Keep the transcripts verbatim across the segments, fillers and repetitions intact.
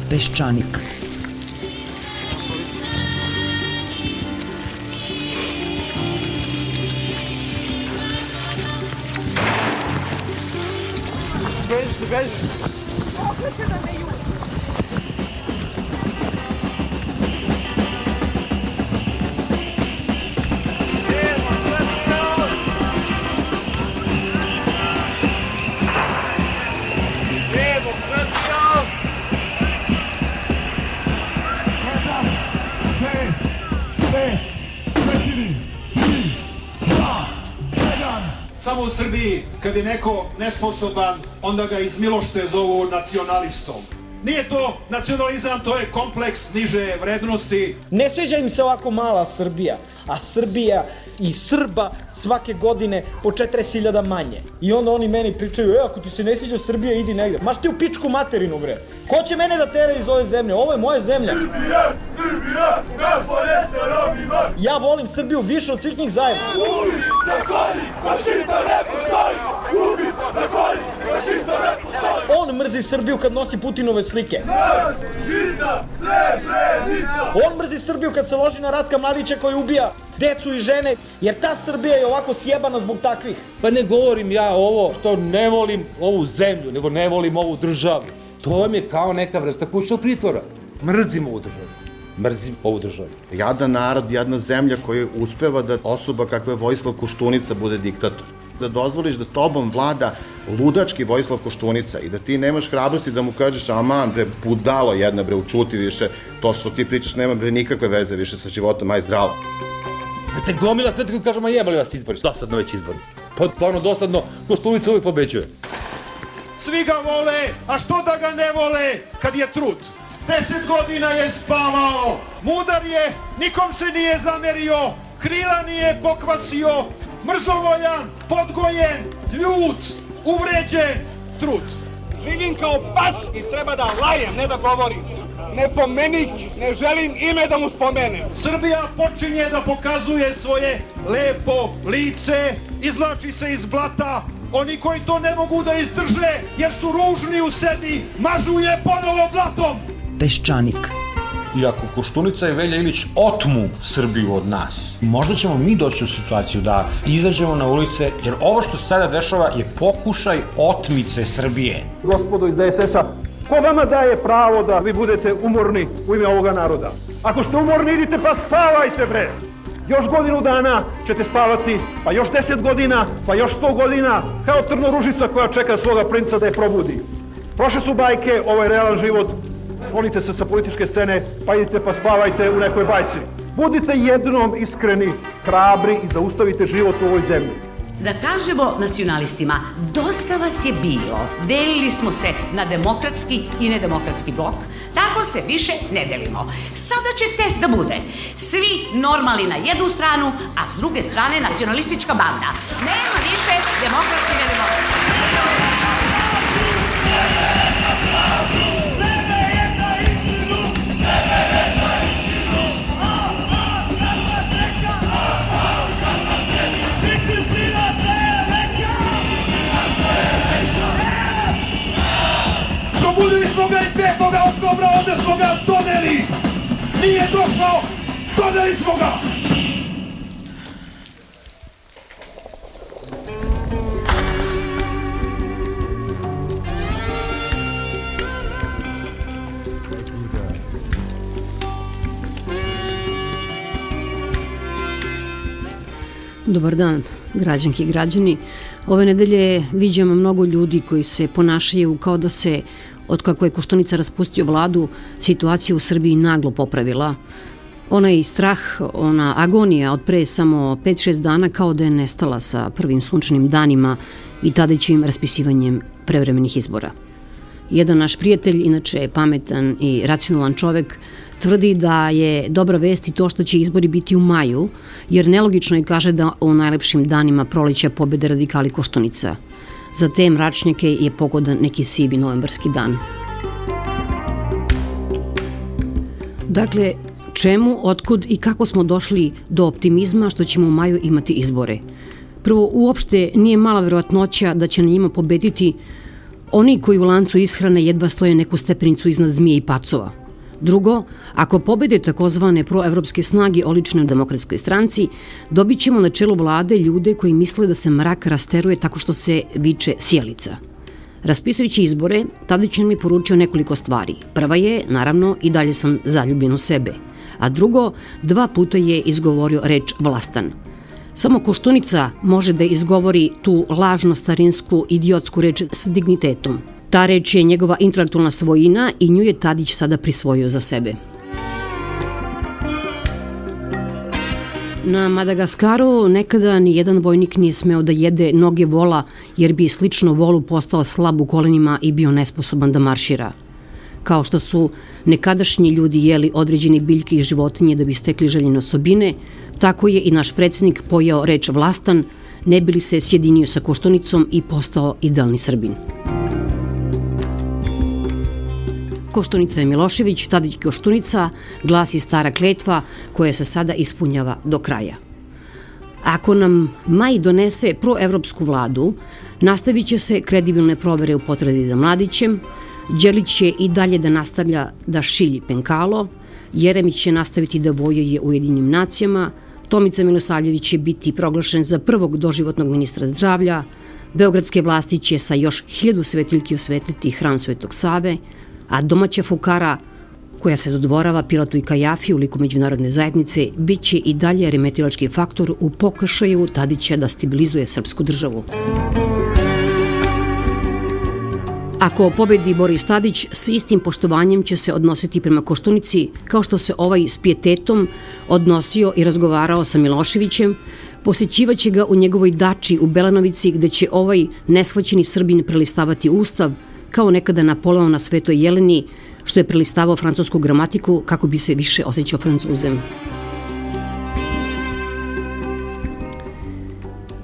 Peščanik. Beži, beži. Kako će da me juri? Samo u Srbiji, kad je neko nesposoban, onda ga iz milošte zovu nacionalistom. Nije to nacionalizam, to je kompleks niže vrednosti. Ne sviđa im se ovako mala Srbija, a Srbija i Srba svake godine po četrdeset hiljada manje. I onda oni meni pričaju, e, ako ti se ne sviđa Srbija, idi negde. Maš ti u pičku materinu, bre. Ko će mene da tera iz ove zemlje? Ovo je moja zemlja. Srbija, Srbija, najbolje sa Romima. Ja volim Srbiju više od svih njih zajedno. Ubi, zakolji, fašista ne postoji. Ubi, zakolji, fašista ne postoji. On mrzi Srbiju kad nosi Putinove slike. Žiza, Srebrenica. On mrzi Srbiju kad se loži na Ratka Mladića koji ubija decu i žene, jer ta Srbija je ovako sjebana zbog takvih. Pa ne govorim ja ovo što ne volim ovu zemlju, nego ne volim ovu državu. To vam je kao neka vrsta kućnog pritvora. Mrzim ovu državu. Mrzim ovu državu. Jadan narod, jadna zemlja koja uspeva da osoba kakva je Vojislav Koštunica bude diktator. Da dozvoliš da tobom vlada ludački Vojislav Koštunica i da ti nemaš hrabrosti da mu kažeš aman bre, budalo jedna bre, učuti više, to što ti pričaš nema bre nikakve veze više sa životom, aj zdravo. Te gomila sve tako kažem, a jebali vas izbori. Dosadno već izbori. Pa stvarno dosadno, Koštunica uvijek pobeđuje. Svi ga vole, a što da ga ne vole kad je trud? Deset godina je spavao, mudar je, nikom se nije zamerio, krila nije pokvasio, mrzovoljan, podgojen, ljut, uvređen, trud. Živim kao pas i treba da lajem, ne da govorim. Ne pomenik, ne želim ime da mu spomenem. Srbija počinje da pokazuje svoje lepo lice, izvlači se iz blata. Oni koji to ne mogu da izdrže jer su ružni u sebi, mažu je ponovo blatom. Peščanik. I ako Koštunica i Velja Ilić otmu Srbiju od nas, možda ćemo mi doći u situaciju da izađemo na ulice, jer ovo što se sada dešava je pokušaj otmice Srbije. Gospodo iz D S S-a, ko vama daje pravo da vi budete umorni u ime ovoga naroda? Ako ste umorni, idite pa spavajte, bre! Još godinu dana ćete spavati, pa još deset godina, pa još sto godina, kao trnoružica koja čeka svoga princa da je probudi. Prošle su bajke, ovo je realan život, sklonite se sa političke scene, pa idite pa spavajte u nekoj bajci. Budite jednom iskreni, hrabri i zaustavite život u ovoj zemlji. Da kažemo nacionalistima, dosta vas je bilo. Delili smo se na demokratski i nedemokratski blok. Tako se više ne delimo. Sada će test da bude. Svi normalni na jednu stranu, a s druge strane nacionalistička banda. Nema više demokratski i nedemokratski. Probudili smo ga i petog oktobra, ovde smo ga doneli. Nije došao, doneli smo ga. Dobar dan, građanki i građani. Ove nedelje viđamo mnogo ljudi koji se ponašaju kao da se, od kako je Koštunica raspustio vladu, situacija u Srbiji naglo popravila. Onaj strah, ona agonija od pre samo pet šest dana kao da je nestala sa prvim sunčanim danima i tadaćim raspisivanjem prevremenih izbora. Jedan naš prijatelj, inače pametan i racionalan čovek, tvrdi da je dobra vest i to što će izbori biti u maju, jer nelogično je, kaže, da u najlepšim danima proleća pobede radikali Koštunica. Za te mračnjake je pogodan neki sivi novembarski dan. Dakle, čemu, otkud i kako smo došli do optimizma što ćemo u maju imati izbore? Prvo, uopšte nije mala verovatnoća da će na njima pobediti Oni koji u lancu ishrane jedva stoje neku stepenicu iznad zmije i pacova. Drugo, ako pobede takozvane proevropske snage oličene u Demokratskoj stranci, dobit ćemo na čelu vlade ljude koji misle da se mrak rasteruje tako što se viče sjelica. Raspisujući izbore, Tadić nam je poručio nekoliko stvari. Prva je, naravno, i dalje sam zaljubljen u sebe. A drugo, dva puta je izgovorio reč vlastan. Samo Koštunica može da izgovori tu lažno starinsku idiotsku reč s dignitetom. Ta reč je njegova intelektualna svojina i nju je Tadić sada prisvojio za sebe. Na Madagaskaru nekada ni jedan vojnik nije smeo da jede noge vola jer bi slično volu postao slab u kolenima i bio nesposoban da maršira. Kao što su nekadašnji ljudi jeli određene biljke i životinje da bi stekli željene osobine, tako je i naš predsjednik pojeo reč vlastan, ne bi li se sjedinio sa Koštunicom i postao idealni Srbin. Koštunica je Milošević, Tadić Koštunica, glasi stara kletva koja se sada ispunjava do kraja. Ako nam maj donese proevropsku vladu, nastavit će se kredibilne provere u potrazi za Mladićem, Đelić će i dalje da nastavlja da šilji penkalo, Jeremić će nastaviti da vojuje Ujedinjenim nacijama, Tomica Milosavljević će biti proglašen za prvog doživotnog ministra zdravlja, beogradske vlasti će sa još hiljadu svetiljki osvetliti hram Svetog Save, a domaća fukara, koja se dodvorava Pilatu i Kajafi u liku međunarodne zajednice, bit će i dalje remetilački faktor u pokušaju Tadića da stabilizuje srpsku državu. Ako pobedi Boris Tadić, s istim poštovanjem će se odnositi prema Koštunici, kao što se ovaj s pijetetom odnosio i razgovarao sa Miloševićem, posjećivaće ga u njegovoj dači u Belanovici, gde će ovaj neshvaćeni Srbin prelistavati Ustav, kao nekada Napoleon na Svetoj Jeleni, što je prelistavao francusku gramatiku kako bi se više osjećao Francuzem.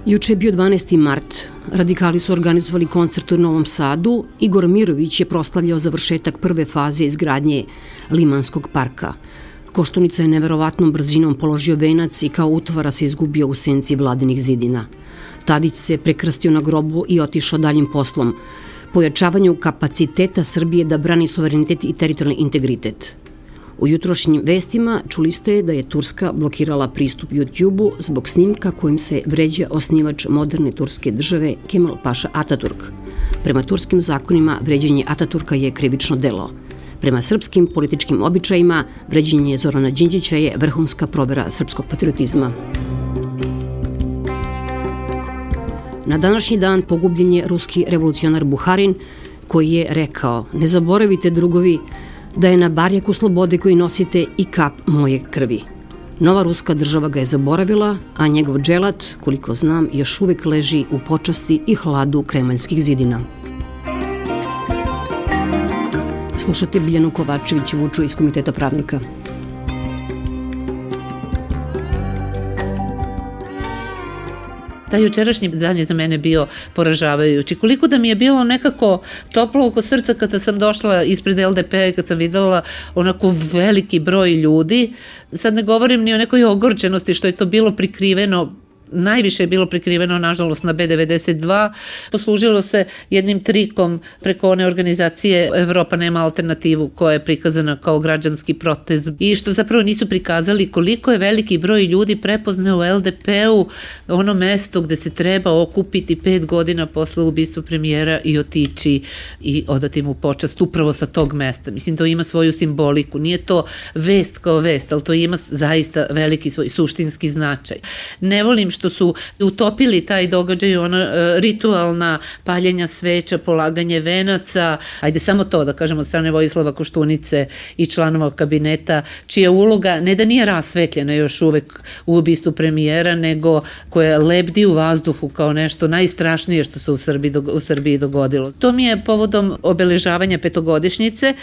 Juče je bio dvanaesti mart. Radikali su organizovali koncert u Novom Sadu. Igor Mirović je proslavljao završetak prve faze izgradnje Limanskog parka. Koštunica je neverovatnom brzinom položio venac i kao utvara se izgubio u senci vladinih zidina. Tadić se prekrstio na grobu i otišao daljim poslom, pojačavanju kapaciteta Srbije da brani suverenitet i teritorijalni integritet. U jutrošnjim vestima čuli ste da je Turska blokirala pristup YouTube-u zbog snimka kojim se vređa osnivač moderne turske države Kemal Paša Ataturk. Prema turskim zakonima vređanje Ataturka je krivično delo. Prema srpskim političkim običajima vređanje Zorana Đinđića je vrhunska provera srpskog patriotizma. Na današnji dan pogubljen je ruski revolucionar Buharin, koji je rekao: "Ne zaboravite, drugovi, da je na barjaku slobode koji nosite i kap moje krvi." Nova ruska država ga je zaboravila, a njegov dželat, koliko znam, još uvek leži u počasti i hladu kremaljskih zidina. Slušate Biljanu Kovačević-Vuču iz Komiteta pravnika. Taj jučerašnji dan je za mene bio poražavajući. Koliko da mi je bilo nekako toplo oko srca kada sam došla ispred L D P-a i kad sam videla onako veliki broj ljudi. Sad ne govorim ni o nekoj ogorčenosti što je to bilo prikriveno, najviše je bilo prikriveno, nažalost, na B devedeset dva. Poslužilo se jednim trikom preko one organizacije Evropa nema alternativu, koja je prikazana kao građanski protest i što zapravo nisu prikazali koliko je veliki broj ljudi prepoznao u L D P-u ono mesto gde se treba okupiti pet godina posle ubistva premijera i otići i odati mu počast upravo sa tog mesta. Mislim, to ima svoju simboliku. Nije to vest kao vest, ali to ima zaista veliki svoj suštinski značaj. Ne volim što su utopili taj događaj, ona ritualna paljenja sveća, polaganje venaca, ajde samo to da kažemo od strane Vojislava Koštunice i članova kabineta, čija uloga ne da nije rasvetljena još uvek u ubistvu premijera, nego koja lebdi u vazduhu kao nešto najstrašnije što se u Srbiji, u Srbiji dogodilo. To mi je povodom obeležavanja petogodišnjice,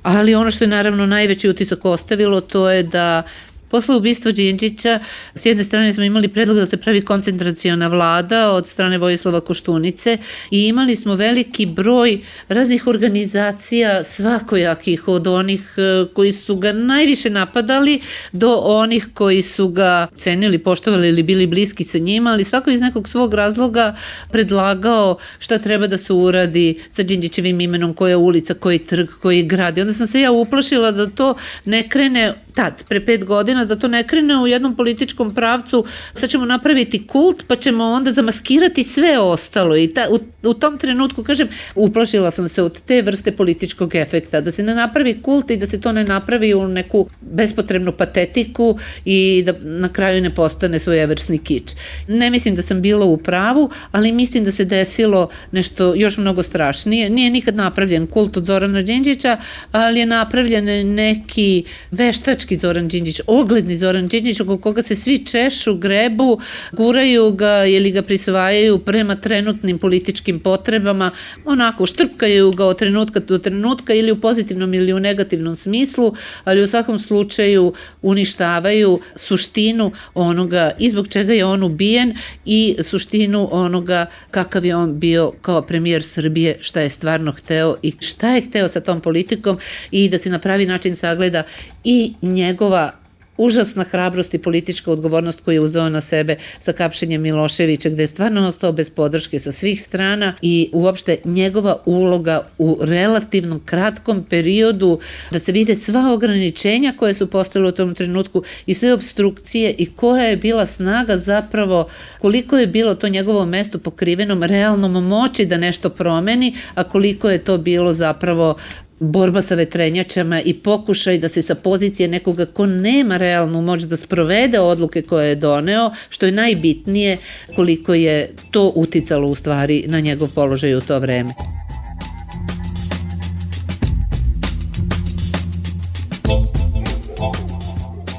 ali ono što je naravno najveći utisak ostavilo, to je da Posle ubistva Đinđića, s jedne strane smo imali predlog da se pravi koncentraciona vlada od strane Vojislava Koštunice i imali smo veliki broj raznih organizacija svakojakih, od onih koji su ga najviše napadali do onih koji su ga cenili, poštovali ili bili bliski sa njima, ali svako iz nekog svog razloga predlagao šta treba da se uradi sa Đinđićevim imenom, koja ulica, koji trg, koji grad. I onda sam se ja uplašila da to ne krene tad, pre pet godina, da to ne krene u jednom političkom pravcu, sad ćemo napraviti kult, pa ćemo onda zamaskirati sve ostalo. I ta, u, u tom trenutku, kažem, uplašila sam se od te vrste političkog efekta, da se ne napravi kult i da se to ne napravi u neku bespotrebnu patetiku i da na kraju ne postane svojevrsni kič. Ne mislim da sam bila u pravu, ali mislim da se desilo nešto još mnogo strašnije. Nije nikad napravljen kult od Zorana Đinđića, ali je napravljen neki veštački Zoran Đinđić, ogledni Zoran Đinđić, oko koga se svi češu, grebu, guraju ga ili ga prisvajaju prema trenutnim političkim potrebama, onako štrpkaju ga od trenutka do trenutka ili u pozitivnom ili u negativnom smislu, ali u svakom slučaju uništavaju suštinu onoga i zbog čega je on ubijen i suštinu onoga kakav je on bio kao premijer Srbije, šta je stvarno hteo i šta je hteo sa tom politikom i da se na pravi način sagleda i njegova užasna hrabrost i politička odgovornost koju je uzeo na sebe sa kapšenjem Miloševića, gde je stvarno ostao bez podrške sa svih strana i uopšte njegova uloga u relativno kratkom periodu, da se vide sva ograničenja koje su postale u tom trenutku i sve obstrukcije i koja je bila snaga zapravo, koliko je bilo to njegovo mesto pokrivenom realnom moći da nešto promeni, a koliko je to bilo zapravo borba sa vetrenjačama i pokušaj da se sa pozicije nekoga ko nema realnu moć da sprovede odluke koje je doneo, što je najbitnije, koliko je to uticalo u stvari na njegov položaj u to vreme.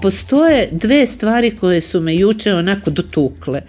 Postoje dve stvari koje su me juče onako dotukle.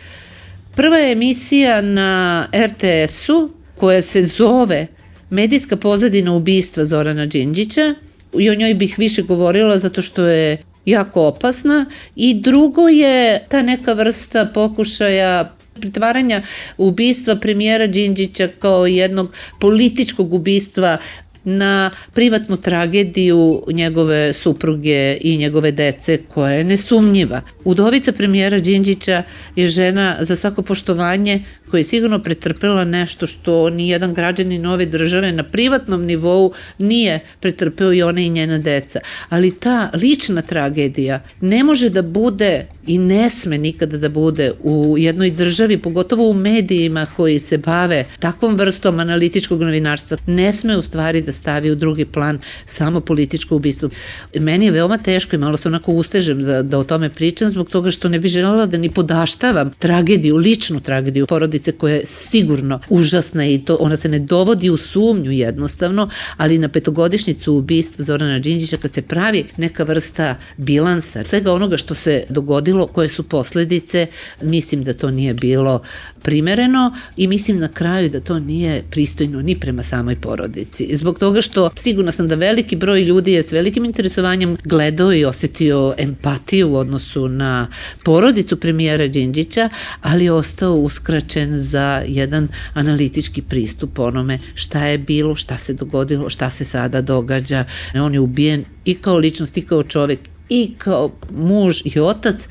Prva je emisija na er te esu koja se zove Medijska pozadina ubistva Zorana Đinđića i o njoj bih više govorila zato što je jako opasna, i drugo je ta neka vrsta pokušaja pretvaranja ubistva premijera Đinđića kao jednog političkog ubistva na privatnu tragediju njegove supruge i njegove dece, koja je nesumnjiva. Udovica premijera Đinđića je žena za svako poštovanje, koja je sigurno pretrpela nešto što ni jedan građanin ove države na privatnom nivou nije pretrpeo, i ona i njena deca. Ali ta lična tragedija ne može da bude i ne sme nikada da bude u jednoj državi, pogotovo u medijima koji se bave takvom vrstom analitičkog novinarstva, ne sme u stvari da stavi u drugi plan samo političko ubistvo. Meni je veoma teško i malo se onako ustežem da, da o tome pričam, zbog toga što ne bih želela da ni podaštavam tragediju, ličnu tragediju porodice koja je sigurno užasna i to ona se ne dovodi u sumnju jednostavno, ali na petogodišnjicu ubistva Zorana Đinđića, kad se pravi neka vrsta bilansa svega onoga što se dogodilo, koje su posledice, mislim da to nije bilo primereno i mislim na kraju da to nije pristojno ni prema samoj porodici. Zbog toga što sigurno sam da veliki broj ljudi je s velikim interesovanjem gledao i osetio empatiju u odnosu na porodicu premijera Đinđića, ali je ostao uskraćen za jedan analitički pristup onome šta je bilo, šta se dogodilo, šta se sada događa. On je ubijen i kao ličnost, i kao čovek, i kao muž i otac,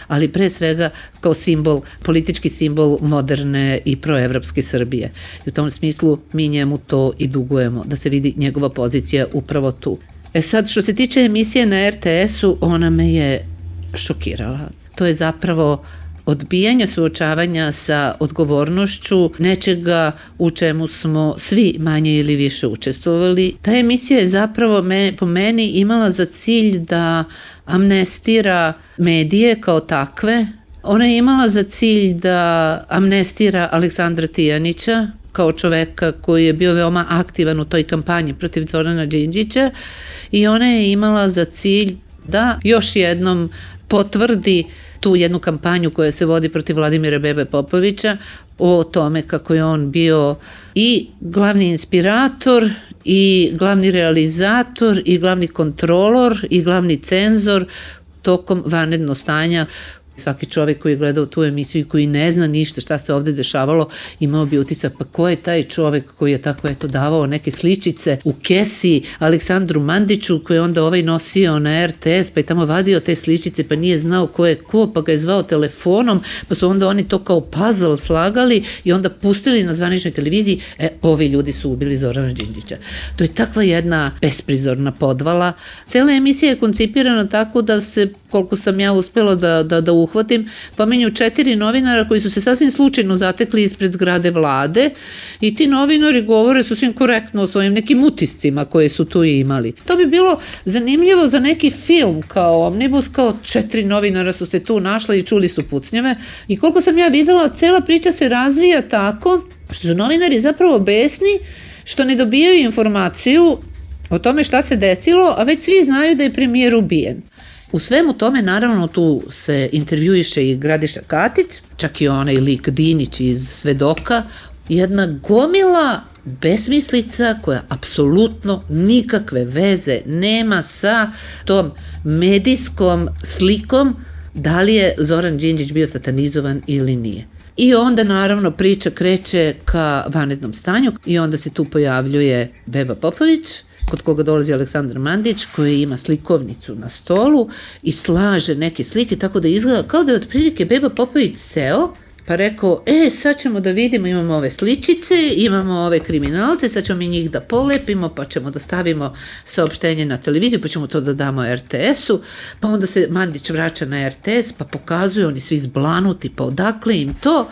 ali pre svega kao simbol, politički simbol moderne i proevropske Srbije. I u tom smislu mi njemu to i dugujemo, da se vidi njegova pozicija upravo tu. E sad, što se tiče emisije na er te esu, ona me je šokirala. To je zapravo odbijanja suočavanja sa odgovornošću nečega u čemu smo svi manje ili više učestvovali. Ta emisija je zapravo me, po meni imala za cilj da amnestira medije kao takve. Ona je imala za cilj da amnestira Aleksandra Tijanića kao čoveka koji je bio veoma aktivan u toj kampanji protiv Zorana Đinđića, i ona je imala za cilj da još jednom potvrdi tu jednu kampanju koja se vodi protiv Vladimira Bebe Popovića o tome kako je on bio i glavni inspirator i glavni realizator i glavni kontrolor i glavni cenzor tokom vanrednog stanja. Svaki čovjek koji je gledao tu emisiju i koji ne zna ništa šta se ovde dešavalo, imao bi utisak, pa ko je taj čovjek koji je tako eto davao neke sličice u kesi Aleksandru Mandiću, koji je onda ovaj nosio na er te es, pa je tamo vadio te sličice, pa nije znao ko je ko, pa ga je zvao telefonom, pa su onda oni to kao puzzle slagali i onda pustili na zvaničnoj televiziji, e, ovi ljudi su ubili Zorana Đinđića. To je takva jedna besprizorna podvala. Cela emisija je koncipirana tako da se, koliko sam ja uspela da, da, da uhvatim, pominju četiri novinara koji su se sasvim slučajno zatekli ispred zgrade vlade i ti novinari govore sasvim korektno o svojim nekim utiscima koje su tu imali. To bi bilo zanimljivo za neki film kao Omnibus, kao četiri novinara su se tu našla i čuli su pucnjeve i koliko sam ja videla, cela priča se razvija tako što su novinari zapravo besni što ne dobijaju informaciju o tome šta se desilo, a već svi znaju da je premijer ubijen. U svemu tome, naravno, tu se intervjuiše i Gradiša Katić, čak i onaj lik Dinić iz Svedoka, jedna gomila besmislica koja apsolutno nikakve veze nema sa tom medijskom slikom da li je Zoran Đinđić bio satanizovan ili nije. I onda naravno priča kreće ka vanrednom stanju i onda se tu pojavljuje Beba Popović, kod koga dolazi Aleksandar Mandić, koji ima slikovnicu na stolu i slaže neke slike, tako da izgleda kao da je otprilike Beba Popović seo, pa rekao, e, sad ćemo da vidimo, imamo ove sličice, imamo ove kriminalce, sad ćemo mi njih da polepimo, pa ćemo da stavimo saopštenje na televiziju, pa ćemo to da damo er te esu, pa onda se Mandić vraća na er te es, pa pokazuje, oni svi zblanuti, pa odakle im to?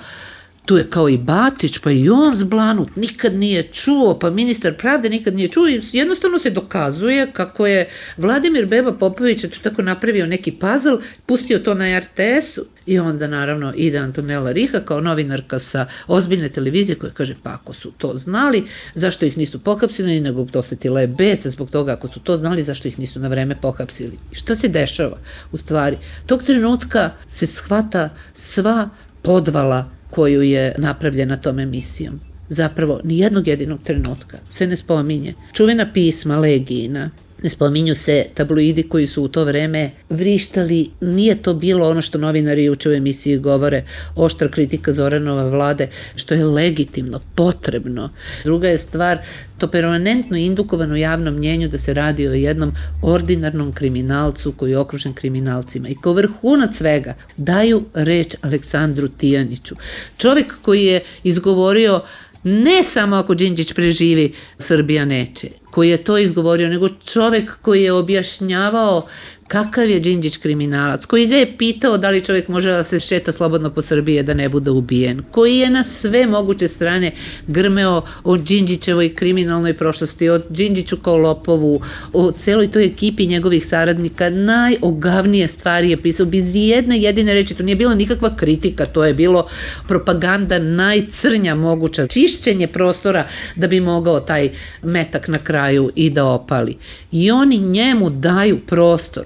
Tu je kao i Batić, pa i on zblanut, nikad nije čuo, pa ministar pravde nikad nije čuo i jednostavno se dokazuje kako je Vladimir Beba Popović tu tako napravio neki puzzle, pustio to na er te esu i onda naravno ide Antonela Riha kao novinarka sa ozbiljne televizije koja kaže pa ako su to znali, zašto ih nisu pohapsili, nego dosetila je besa zbog toga ako su to znali, zašto ih nisu na vreme pohapsili. I šta se dešava u stvari? Tog trenutka se shvata sva podvala koju je napravljena tom emisijom. Zapravo, ni jednog jedinog trenutka se ne spominje. Čuvena pisma Legijina, ne spominju se tabloidi koji su u to vreme vrištali, nije to bilo ono što novinari juče u emisiji govore, oštra kritika Zoranova vlade, što je legitimno, potrebno. Druga je stvar, to permanentno indukovano javnom mnjenju da se radi o jednom ordinarnom kriminalcu koji je okružen kriminalcima i kao vrhunac svega daju reč Aleksandru Tijaniću. Čovjek koji je izgovorio ne samo ako Đinđić preživi, Srbija neće, koji je to izgovorio, nego čovjek koji je objašnjavao kakav je Đinđić kriminalac, koji ga je pitao da li čovjek može da se šeta slobodno po Srbiji da ne bude ubijen, koji je na sve moguće strane grmeo o Đinđićevoj kriminalnoj prošlosti, o Đinđiću kao lopovu, o celoj toj ekipi njegovih saradnika, najogavnije stvari je pisao, bez jedne jedine reči, to nije bila nikakva kritika, to je bilo propaganda najcrnja moguća, čišćenje prostora da bi mogao taj metak na kraju i da opali. I oni njemu daju prostor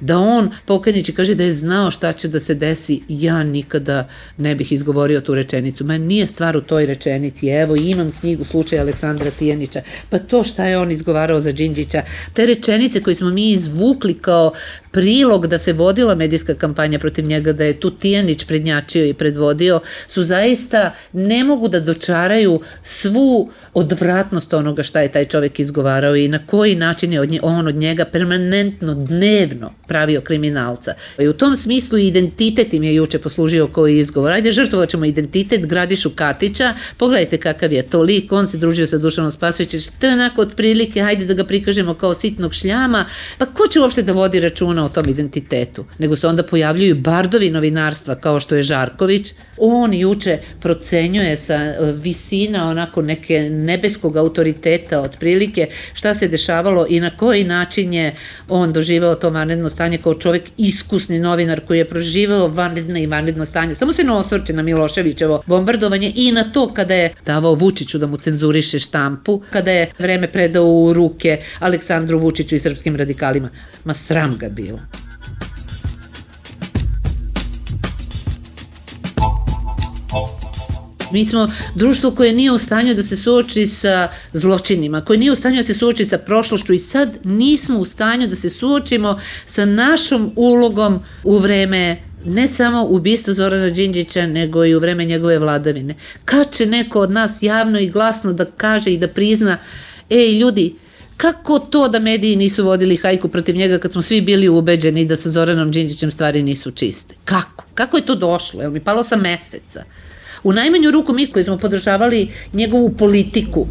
da on pokajniči kaže da je znao šta će da se desi, ja nikada ne bih izgovorio tu rečenicu. Ma nije stvar u toj rečenici, evo imam knjigu slučaja Aleksandra Tijanića, pa to šta je on izgovarao za Đinđića, te rečenice koje smo mi izvukli kao prilog da se vodila medijska kampanja protiv njega, da je tu Tijanić prednjačio i predvodio, su zaista, ne mogu da dočaraju svu odvratnost onoga šta je taj čovjek izgovarao i na koji način je on od njega permanentno, dnevno pravio kriminalca. I u tom smislu identitet im je juče poslužio koji izgovor. Ajde, žrtvovat ćemo identitet Gradišu Katića, pogledajte kakav je to lik, on se družio sa Dušanom Spasojevićem, to je onako otprilike, hajde da ga prikažemo kao sitnog šljama, pa ko će uopšte da vodi računa o tom identitetu? Nego se onda pojavljuju bardovi novinarstva kao što je Žarković, on juče procenjuje sa visina onako neke nebeskog autoriteta otprilike šta se dešavalo i na koji način je on doživao to vanredno stanje kao čovjek, iskusni novinar koji je proživao vanredno i vanredno stanje. Samo se ne osvrće na Miloševićevo bombardovanje i na to kada je davao Vučiću da mu cenzuriše štampu, kada je vreme predao u ruke Aleksandru Vučiću i srpskim radikalima. Ma sram ga bilo. Mi smo društvo koje nije u stanju da se suoči sa zločinima, koje nije u stanju da se suoči sa prošlošću i sad nismo u stanju da se suočimo sa našom ulogom u vreme ne samo ubistva Zorana Đinđića, nego i u vreme njegove vladavine. Kad će neko od nas javno i glasno da kaže i da prizna, ej ljudi, kako to da mediji nisu vodili hajku protiv njega kad smo svi bili ubeđeni da sa Zoranom Đinđićem stvari nisu čiste? Kako? Kako je to došlo? Jel mi palo sa meseca? U najmanju ruku mi koji smo podržavali njegovu politiku,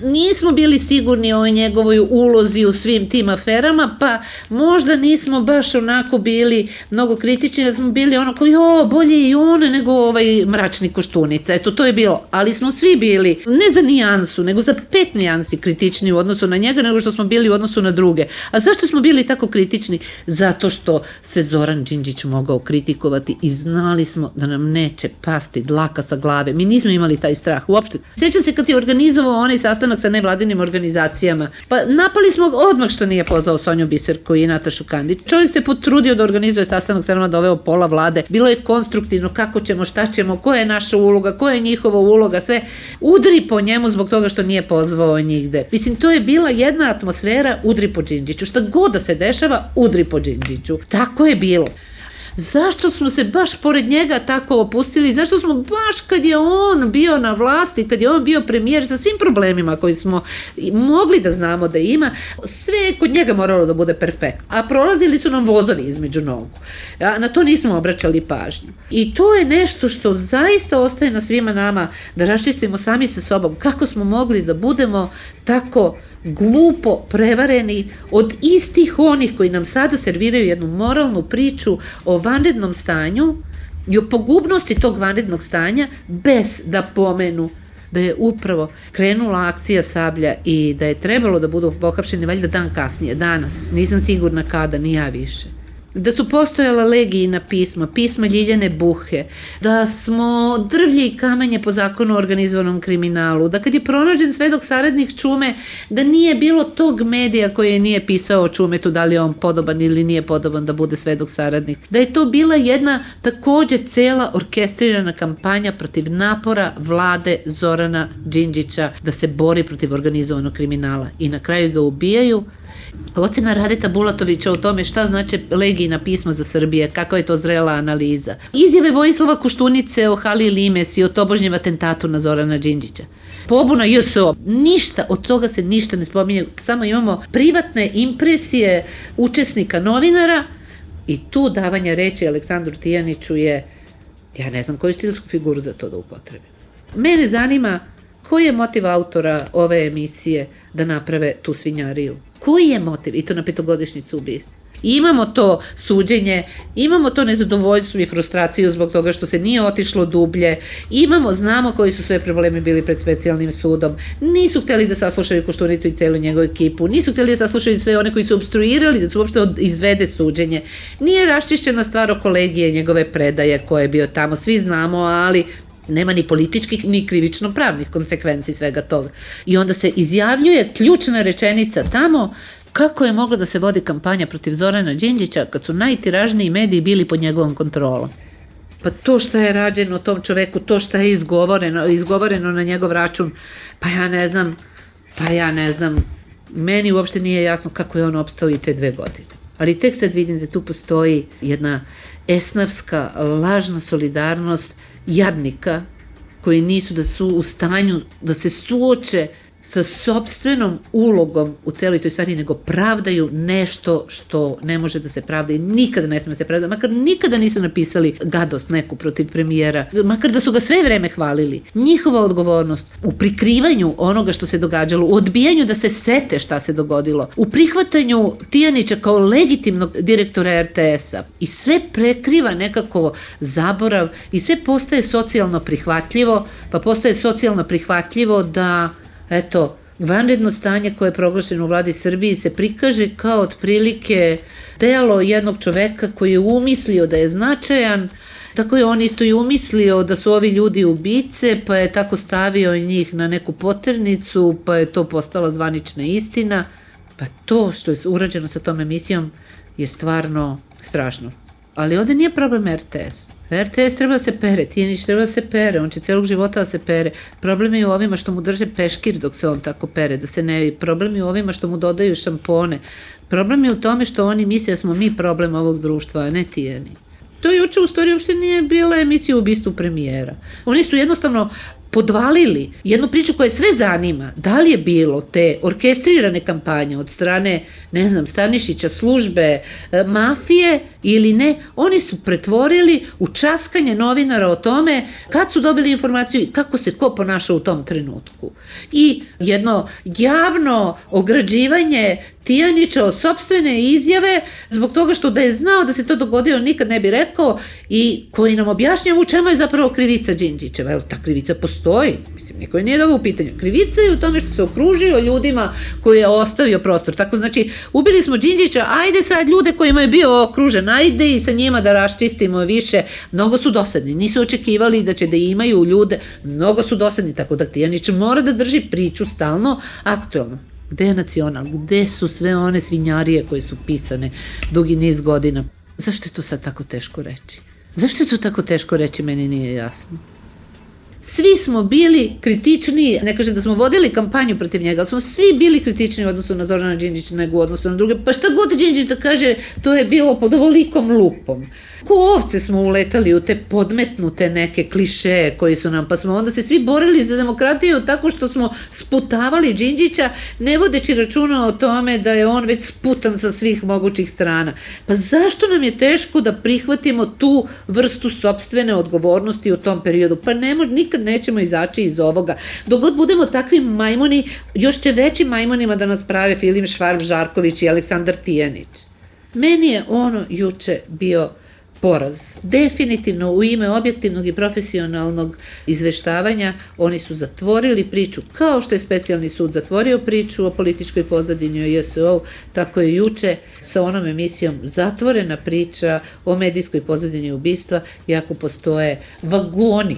nismo bili sigurni o njegovoj ulozi u svim tim aferama, pa možda nismo baš onako bili mnogo kritični, da smo bili ono koji, o, bolje i on nego ovaj mračni Koštunica. Eto, to je bilo. Ali smo svi bili, ne za nijansu, nego za pet nijansi kritični u odnosu na njega, nego što smo bili u odnosu na druge. A zašto smo bili tako kritični? Zato što se Zoran Đinđić mogao kritikovati i znali smo da nam neće pasti dlaka sa glave. Mi nismo imali taj strah uopšte. Sjećam se kad je organizovao onaj sastanak sa nevladinim organizacijama. Pa napali smo odmah što nije pozvao Sonju Biserku i Natašu Kandić. Čovjek se potrudio da organizuje sastanak, sa nama doveo pola vlade. Bilo je konstruktivno, kako ćemo, šta ćemo, koja je naša uloga, koja je njihova uloga, sve. Udri po njemu zbog toga što nije pozvao nigde. Mislim, to je bila jedna atmosfera, udri po Đinđiću. Šta god da se dešava, udri po Đinđiću. Tako je bilo. Zašto smo se baš pored njega tako opustili? Zašto smo baš kad je on bio na vlasti, kad je on bio premijer sa svim problemima koji smo mogli da znamo da ima, sve kod njega moralo da bude perfektno. A prolazili su nam vozovi između nogu. A na to nismo obraćali pažnju. I to je nešto što zaista ostaje na svima nama da raščistimo sami sa sobom. Kako smo mogli da budemo tako glupo prevareni od istih onih koji nam sada serviraju jednu moralnu priču o vanrednom stanju i o pogubnosti tog vanrednog stanja bez da pomenu da je upravo krenula akcija Sablja i da je trebalo da budu pohapšeni valjda dan kasnije, danas, nisam sigurna kada, ni ja više. Da su postojala legijina pisma, pisma Ljiljane Buhe, da smo drvlje i kamenje po zakonu o organizovanom kriminalu, da kad je pronađen svedok saradnik Čume, da nije bilo tog medija koji nije pisao o Čumetu, da li je on podoban ili nije podoban da bude svedok saradnik, da je to bila jedna takođe cela orkestrirana kampanja protiv napora vlade Zorana Đinđića da se bori protiv organizovanog kriminala i na kraju ga ubijaju. Ocena Radeta Bulatovića o tome šta znače legijina pisma za Srbije, kakva je to zrela analiza. Izjave Vojislava Koštunice o Hali Limes i o tobožnjem atentatu na Zorana Đinđića. Pobuna J S O, ništa, od toga se ništa ne spominje, samo imamo privatne impresije učesnika novinara i tu davanja reči Aleksandru Tijaniću je, ja ne znam koju stilsku figuru za to da upotrebim. Mene zanima koji je motiv autora ove emisije da naprave tu svinjariju. Koji je motiv? I to na petogodišnjicu ubistva. Imamo to suđenje, imamo to nezadovoljstvo i frustraciju zbog toga što se nije otišlo dublje, imamo, znamo koji su sve problemi bili pred specijalnim sudom, nisu hteli da saslušaju Koštunicu i celu njegovu ekipu, nisu hteli da saslušaju sve one koji su obstruirali da se uopšte izvede suđenje, nije raščišćena stvar o kolegije njegove predaje koje je bio tamo, svi znamo, ali nema ni političkih ni krivično-pravnih konsekvenci svega toga. I onda se izjavljuje ključna rečenica tamo kako je mogla da se vodi kampanja protiv Zorana Đinđića kad su najtiražniji mediji bili pod njegovom kontrolom. Pa to šta je rađeno tom čoveku, to šta je izgovoreno, izgovoreno na njegov račun, pa ja ne znam, pa ja ne znam, meni uopšte nije jasno kako je on opstao i te dve godine. Ali tek sad vidim da tu postoji jedna esnavska, lažna solidarnost jadnika koji nisu da su u stanju da se suoče sa sopstvenom ulogom u celoj toj stvari, nego pravdaju nešto što ne može da se pravda i nikada ne sme da se pravda, makar nikada nisu napisali gadost neku protiv premijera, makar da su ga sve vreme hvalili. Njihova odgovornost u prikrivanju onoga što se događalo, u odbijanju da se sete šta se dogodilo, u prihvatanju Tijanića kao legitimnog direktora er te es-a i sve prekriva nekako zaborav i sve postaje socijalno prihvatljivo, pa postaje socijalno prihvatljivo da eto, vanredno stanje koje je proglašeno u vladi Srbiji se prikaže kao otprilike delo jednog čoveka koji je umislio da je značajan, tako je on isto i umislio da su ovi ljudi ubice, pa je tako stavio njih na neku poternicu, pa je to postala zvanična istina. Pa to što je urađeno sa tom emisijom je stvarno strašno. Ali ovde nije problem er te es. R T S treba da se pere, Tijanić treba da se pere, on će celog života da se pere. Problem je u ovima što mu drže peškir dok se on tako pere, da se ne vidi. Problem je u ovima što mu dodaju šampone. Problem je u tome što oni misle da smo mi problem ovog društva, a ne Tijanić. To juče u stvari uopšte nije bila emisija o ubistvu premijera. Oni su jednostavno podvalili jednu priču koja sve zanima. Da li je bilo te orkestrirane kampanje od strane, ne znam, Stanišića, službe, mafije ili ne, oni su pretvorili u časkanje novinara o tome kad su dobili informaciju i kako se ko ponaša u tom trenutku. I jedno javno ograđivanje Tijanića od sopstvene izjave zbog toga što da je znao da se to dogodio nikad ne bi rekao i koji nam objašnjava u čemu je zapravo krivica Đinđićeva. Evo, ta krivica postoji. Mislim, niko je nije dao u pitanju. Krivica je u tome što se okružio ljudima koji je ostavio prostor. Tako znači, ubili smo Đinđića, ajde sad ljude kojima je bio okružen, ajde i sa njima da raščistimo više. Mnogo su dosadni. Nisu očekivali da će da imaju ljude. Mnogo su dosadni, tako da Tijanić mora da drži priču stalno aktuelno. Gde je Nacional? Gde su sve one svinjarije koje su pisane dugi niz godina? Zašto je to sad tako teško reći? Zašto je to tako teško reći, meni nije jasno. Svi smo bili kritični, ne kažem da smo vodili kampanju protiv njega, ali smo svi bili kritični u odnosu na Zorana Đinđića nego u odnosu na druge. Pa šta god Đinđić da kaže, to je bilo pod ovolikom lupom. Ko ovce smo uletali u te podmetnute neke klišeje koji su nam, pa smo onda se svi borili za demokratiju tako što smo sputavali Đinđića, ne vodeći računa o tome da je on već sputan sa svih mogućih strana. Pa zašto nam je teško da prihvatimo tu vrstu sopstvene odgovornosti u tom periodu? Pa nemo, nikad nećemo izaći iz ovoga. Dok god budemo takvi majmuni, još će većim majmunima da nas prave Filip Švarb Žarković i Aleksandar Tijanić. Meni je ono juče bio poraz. Definitivno u ime objektivnog i profesionalnog izveštavanja oni su zatvorili priču, kao što je specijalni sud zatvorio priču o političkoj pozadini o J S O, tako je juče sa onom emisijom zatvorena priča o medijskoj pozadini ubistva, iako postoje vagoni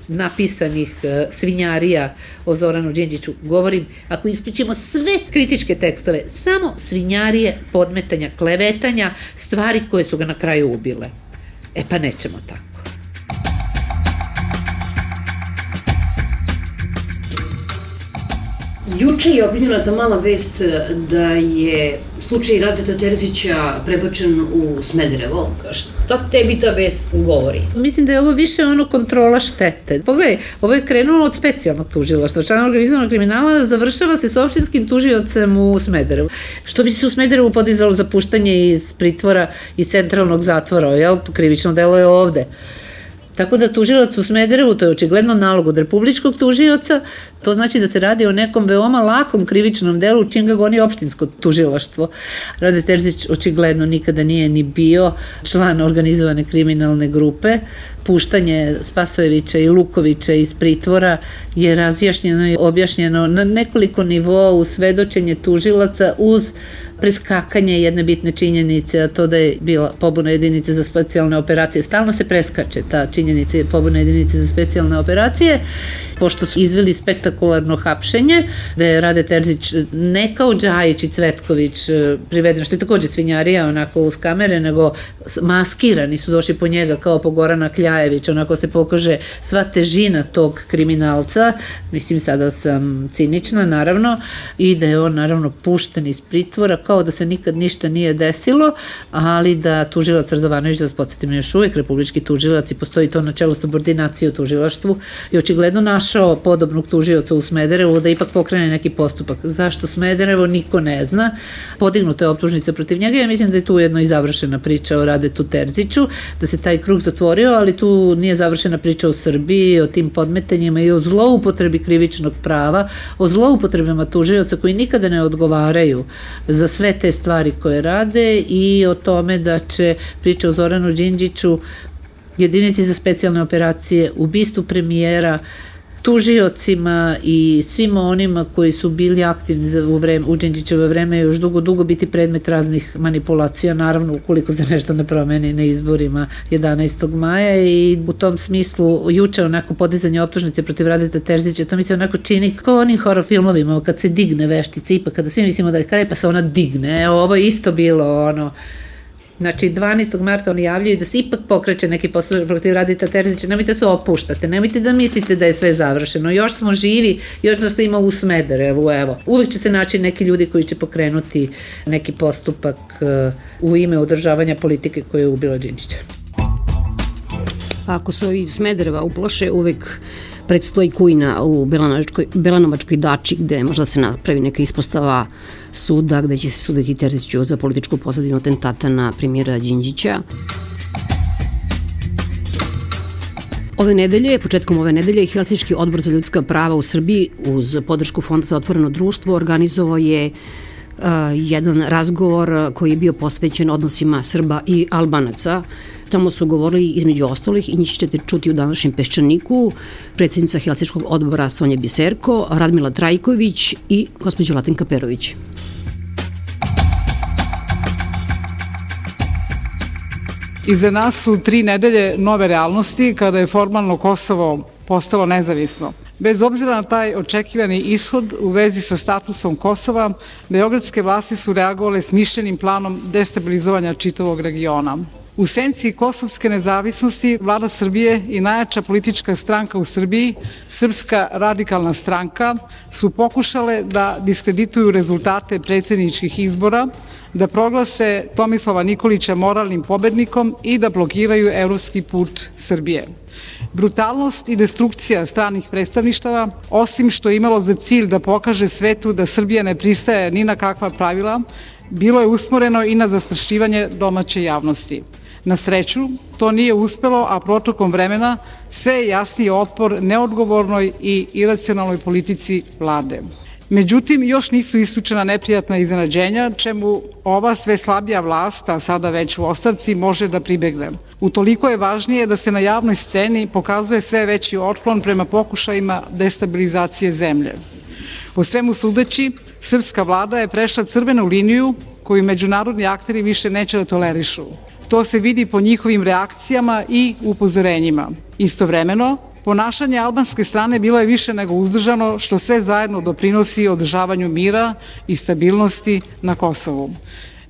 napisanih svinjarija o Zoranu Đinđiću. Govorim, ako isključimo sve kritičke tekstove, samo svinjarije, podmetanja, klevetanja, stvari koje su ga na kraju ubile. E pa nećemo tako. Juče je objavljena ta mala vest da je slučaj Radeta Terzića prebačen u Smederevo. Šta tebi ta vest govori? Mislim da je ovo više ono kontrola štete. Pogledaj, ovo je krenulo od specijalnog tužilaštva, člana organizovanog kriminala, završava se s opštinskim tužiocem u Smederevu. Što bi se u Smederevu podizalo za puštanje iz pritvora, iz centralnog zatvora, jel? To krivično delo je ovde. Tako da tužilac u Smederevu, to je očigledno nalog od republičkog tužioca, to znači da se radi o nekom veoma lakom krivičnom delu čim ga goni opštinsko tužilaštvo. Rade Terzić očigledno nikada nije ni bio član organizovane kriminalne grupe. Puštanje Spasojevića i Lukovića iz pritvora je razjašnjeno i objašnjeno na nekoliko nivoa u svedočenje tužilaca uz preskakanje jedne bitne činjenice, a to da je bila pobuna jedinice za specijalne operacije. Stalno se preskače ta činjenica pobuna jedinice za specijalne operacije, pošto su izveli spektakularno hapšenje, da je Rade Terzić ne kao Džajić i Cvetković priveden, što je takođe svinjarija, onako uz kamere, nego maskirani su došli po njega kao po Gorana Kljajević, onako se pokaže sva težina tog kriminalca, mislim sada sam cinična naravno, i da je on naravno pušten iz pritvora, kao da se nikad ništa nije desilo, ali da tužilac Radovanović, da vas podsjetim, još uvek republički tužilac i postoji to načelo subordinacije u tužilaštvu, i očigledno našao podobnog tužioca u Smederevu da ipak pokrene neki postupak. Zašto Smederevo, niko ne zna. Podignuta je optužnica protiv njega i ja mislim da je tu ujedno i završena priča o Radetu Terziću, da se taj krug zatvorio, ali tu nije završena priča o Srbiji, o tim podmetanjima i o zloupotrebi krivičnog prava, o zloupotrebama tužioca koji nikada ne odgovaraju za sve te stvari koje rade i o tome da će priča o Zoranu Đinđiću, jedinici za specijalne operacije, ubistvu premijera, tužiocima i svima onima koji su bili aktivni u, vreme, u Đinđićevo vreme još dugo, dugo biti predmet raznih manipulacija, naravno ukoliko se nešto ne promeni na izborima jedanaestog maja, i u tom smislu juče onako podizanje optužnice protiv Radeta Terzića, to mi se onako čini kao onim horror filmovima kad se digne veštica, ipak kada svi mislimo da je kraj pa se ona digne, evo ovo je isto bilo ono Znači, dvanaestog marta oni javljaju da se ipak pokreće neki postupak protiv Radeta Terzića, nemojte se opuštate, nemojte da mislite da je sve završeno, još smo živi, još nas ima u Smederevu, evo. Uvek će se naći neki ljudi koji će pokrenuti neki postupak u ime održavanja politike koje je ubila Đinđića. Ako se iz Smedereva uplaše, uvek predstoji kujna u Belanovačkoj dači, gde možda se napravi neka ispostava suda, gde će se suditi Terziću za političku pozadinu atentata na premijera Đinđića. Ove nedelje, početkom ove nedelje, Helsinški odbor za ljudska prava u Srbiji uz podršku Fonda za otvoreno društvo organizovao je uh, jedan razgovor koji je bio posvećen odnosima Srba i Albanaca. Tamo su govorili između ostalih i njih ćete čuti u današnjem Peščaniku, predsjednica Helsinškog odbora Sonja Biserko, Radmila Trajković i gospođa Latinka Perović. Iza nas su tri nedelje nove realnosti kada je formalno Kosovo postalo nezavisno. Bez obzira na taj očekivani ishod u vezi sa statusom Kosova, beogradske vlasti su reagovale smišljenim planom destabilizovanja čitavog regiona. U senci kosovske nezavisnosti vlada Srbije i najjača politička stranka u Srbiji, Srpska radikalna stranka, su pokušale da diskredituju rezultate predsjedničkih izbora, da proglase Tomislava Nikolića moralnim pobednikom i da blokiraju evropski put Srbije. Brutalnost i destrukcija stranih predstavništava, osim što je imalo za cilj da pokaže svetu da Srbija ne pristaje ni na kakva pravila, bilo je usmoreno i na zastrašivanje domaće javnosti. Na sreću, to nije uspelo, a protokom vremena sve je jasniji otpor neodgovornoj i iracionalnoj politici vlade. Međutim, još nisu isključena neprijatna iznenađenja, čemu ova sve slabija vlast, a sada već u ostavci, može da pribegne. Utoliko je važnije da se na javnoj sceni pokazuje sve veći otklon prema pokušajima destabilizacije zemlje. Po svemu sudeći, srpska vlada je prešla crvenu liniju koju međunarodni akteri više neće da tolerišu. To se vidi po njihovim reakcijama i upozorenjima. Istovremeno, ponašanje albanske strane bilo je više nego uzdržano, što sve zajedno doprinosi održavanju mira i stabilnosti na Kosovu.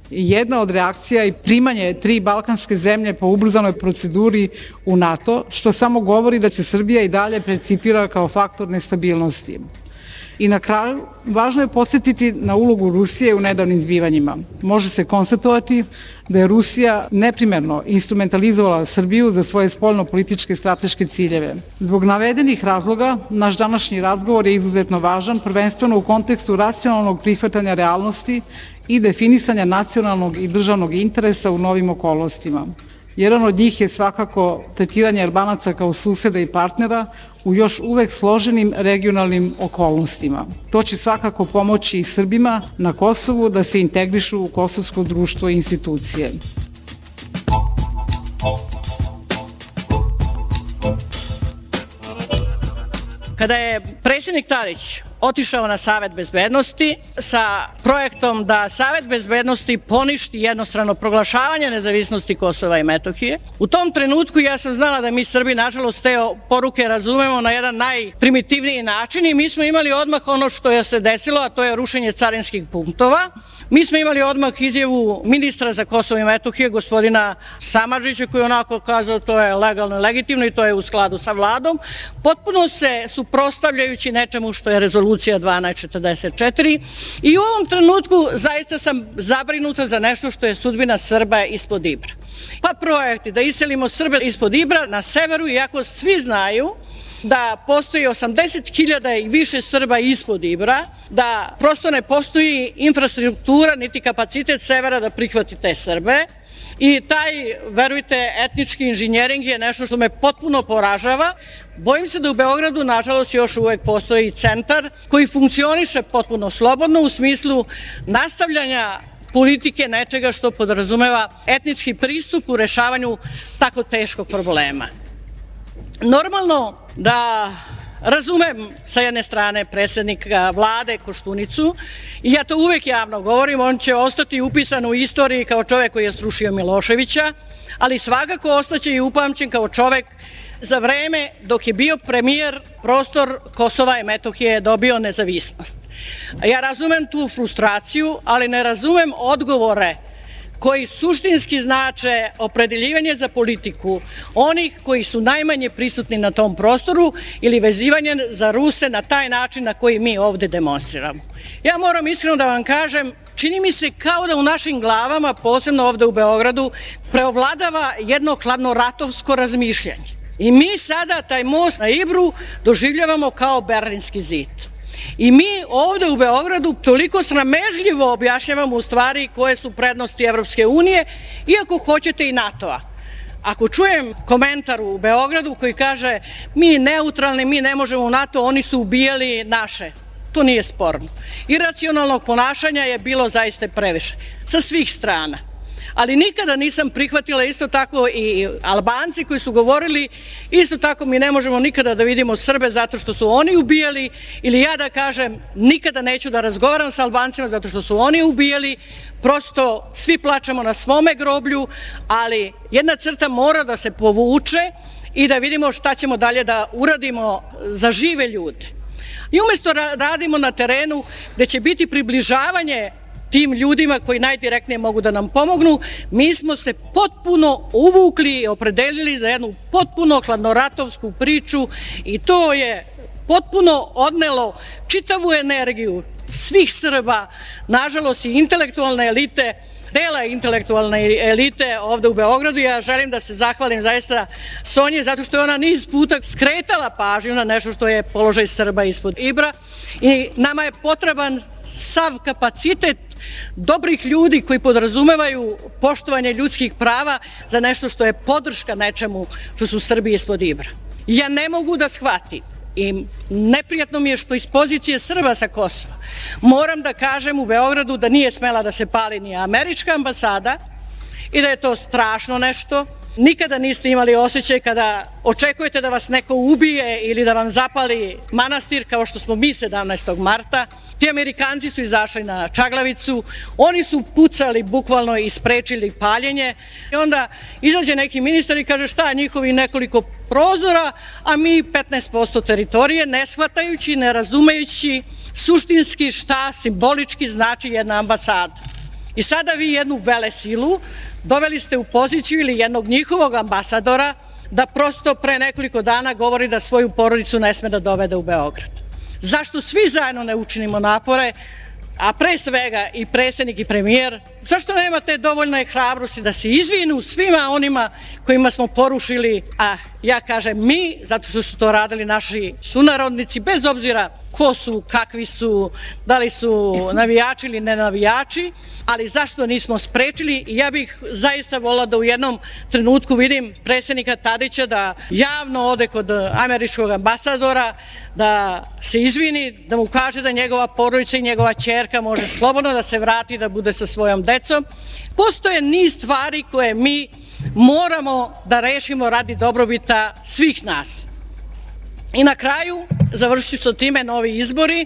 Jedna od reakcija je primanje tri balkanske zemlje po ubrzanoj proceduri u NATO, što samo govori da se Srbija i dalje percipira kao faktor nestabilnosti. I na kraju, važno je podsjetiti na ulogu Rusije u nedavnim zbivanjima. Može se konstatovati da je Rusija neprimerno instrumentalizovala Srbiju za svoje spoljno-političke strateške ciljeve. Zbog navedenih razloga, naš današnji razgovor je izuzetno važan, prvenstveno u kontekstu racionalnog prihvatanja realnosti i definisanja nacionalnog i državnog interesa u novim okolnostima. Jedan od njih je svakako tretiranje Albanaca kao suseda i partnera u još uvek složenim regionalnim okolnostima. To će svakako pomoći i Srbima na Kosovu da se integrišu u kosovsko društvo i institucije. Kada je predsjednik Tadić otišao na Savet bezbednosti sa projektom da Savet bezbednosti poništi jednostrano proglašavanje nezavisnosti Kosova i Metohije, u tom trenutku ja sam znala da mi Srbi nažalost te poruke razumemo na jedan najprimitivniji način i mi smo imali odmah ono što je se desilo, a to je rušenje carinskih punktova. Mi smo imali odmah izjavu ministra za Kosovo i Metohije, gospodina Samardžića, koji je onako kazao to je legalno i legitimno i to je u skladu sa vladom, potpuno se suprotstavljajući nečemu što je rezolucija dvanaest četrdeset četiri i u ovom trenutku zaista sam zabrinuta za nešto što je sudbina Srba ispod Ibra. Pa projekti da iselimo Srbe ispod Ibra na severu, iako svi znaju da postoji osamdeset hiljada i više Srba ispod Ibra, da prosto ne postoji infrastruktura niti kapacitet severa da prihvati te Srbe i taj, verujte, etnički inženjering je nešto što me potpuno poražava. Bojim se da u Beogradu, nažalost, još uvek postoji centar koji funkcioniše potpuno slobodno u smislu nastavljanja politike nečega što podrazumeva etnički pristup u rešavanju tako teškog problema. Normalno da razumem sa jedne strane predsjednika vlade Koštunicu i ja to uvek javno govorim, on će ostati upisan u istoriji kao čovek koji je srušio Miloševića, ali svakako ostaće i upamćen kao čovek za vreme dok je bio premijer, prostor Kosova i Metohije je dobio nezavisnost. Ja razumem tu frustraciju, ali ne razumem odgovore koji suštinski znače opredeljivanje za politiku onih koji su najmanje prisutni na tom prostoru ili vezivanje za Ruse na taj način na koji mi ovde demonstriramo. Ja moram iskreno da vam kažem, čini mi se kao da u našim glavama, posebno ovde u Beogradu, preovladava jedno hladnoratovsko razmišljanje. I mi sada taj most na Ibru doživljavamo kao Berlinski zid. I mi ovde u Beogradu toliko sramežljivo objašnjavamo u stvari koje su prednosti Evropske unije, iako hoćete i NATO-a. Ako čujem komentar u Beogradu koji kaže mi neutralni, mi ne možemo u NATO, oni su ubijali naše. To nije sporno. Iracionalnog ponašanja je bilo zaista previše, sa svih strana. Ali nikada nisam prihvatila isto tako i Albanci koji su govorili isto tako mi ne možemo nikada da vidimo Srbe zato što su oni ubijali, ili ja da kažem nikada neću da razgovaram sa Albancima zato što su oni ubijali, prosto svi plačemo na svome groblju, ali jedna crta mora da se povuče i da vidimo šta ćemo dalje da uradimo za žive ljude. I umesto radimo na terenu gde će biti približavanje tim ljudima koji najdirektnije mogu da nam pomognu, mi smo se potpuno uvukli i opredelili za jednu potpuno hladnoratovsku priču i to je potpuno odnelo čitavu energiju svih Srba, nažalost i intelektualne elite, dela intelektualne elite ovde u Beogradu. Ja želim da se zahvalim zaista Sonji zato što je ona niz puta skretala pažnju na nešto što je položaj Srba ispod Ibra i nama je potreban sav kapacitet dobrih ljudi koji podrazumevaju poštovanje ljudskih prava za nešto što je podrška nečemu što su Srbi ispod Ibra. Ja ne mogu da shvatim i neprijatno mi je što iz pozicije Srba sa Kosova moram da kažem u Beogradu da nije smela da se pali ni američka ambasada i da je to strašno nešto. Nikada niste imali osjećaj kada očekujete da vas neko ubije ili da vam zapali manastir kao što smo mi sedamnaestog marta. Ti Amerikanci su izašli na Čaglavicu, oni su pucali bukvalno i sprečili paljenje i onda izađe neki ministar i kaže šta njihovi nekoliko prozora, a mi petnaest posto teritorije, ne shvatajući, ne razumejući suštinski šta simbolički znači jedna ambasada. I sada vi jednu velesilu doveli ste u poziciju ili jednog njihovog ambasadora da prosto pre nekoliko dana govori da svoju porodicu ne sme da dovede u Beograd. Zašto svi zajedno ne učinimo napore, a pre svega i predsjednik i premijer, zašto nemate dovoljne hrabrosti da se izvinu svima onima kojima smo porušili, a ja kažem mi, zato što su to radili naši sunarodnici, bez obzira ko su, kakvi su, da li su navijači ili ne navijači, ali zašto nismo sprečili i ja bih zaista volila da u jednom trenutku vidim predsjednika Tadića da javno ode kod američkog ambasadora, da se izvini, da mu kaže da njegova porodica i njegova ćerka može slobodno da se vrati da bude sa svojom decom. Postoje niz stvari koje mi moramo da rešimo radi dobrobita svih nas. I na kraju, završit ću sa time, novi izbori,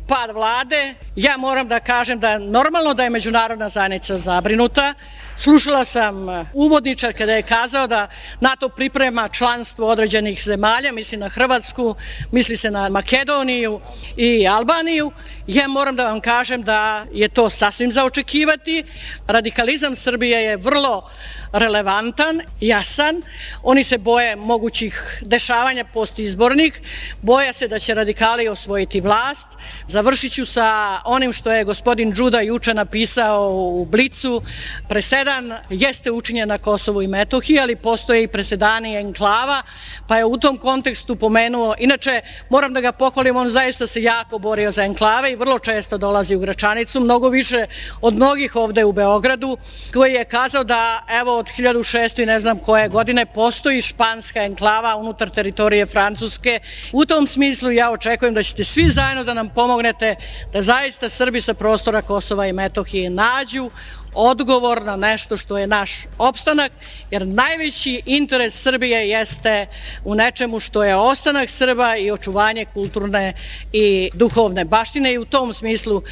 pad vlade. Ja moram da kažem da je normalno da je međunarodna zajednica zabrinuta. Slušala sam uvodničar kada je kazao da NATO priprema članstvo određenih zemalja, misli na Hrvatsku, misli se na Makedoniju i Albaniju. Ja moram da vam kažem da je to sasvim za očekivati. Radikalizam Srbije je vrlo relevantan, jasan. Oni se boje mogućih dešavanja postizbornih, boje se da će radikali osvojiti vlast. Završit ću sa onim što je gospodin Đuda juče napisao u Blicu. Presedan jeste učinjen na Kosovu i Metohiji, ali postoje i presedani enklava, pa je u tom kontekstu pomenuo, inače moram da ga pohvalim, on zaista se jako borio za enklave i vrlo često dolazi u Gračanicu, mnogo više od mnogih ovde u Beogradu, koji je kazao da evo od hiljadu šeststo i ne znam koje godine postoji španska enklava unutar teritorije Francuske. U tom smislu ja očekujem da ćete svi zajedno da nam pomognete da zaista Srbi sa prostora Kosova i Metohije nađu odgovor na nešto što je naš opstanak, jer najveći interes Srbije jeste u nečemu što je ostanak Srba i očuvanje kulturne i duhovne baštine i u tom smislu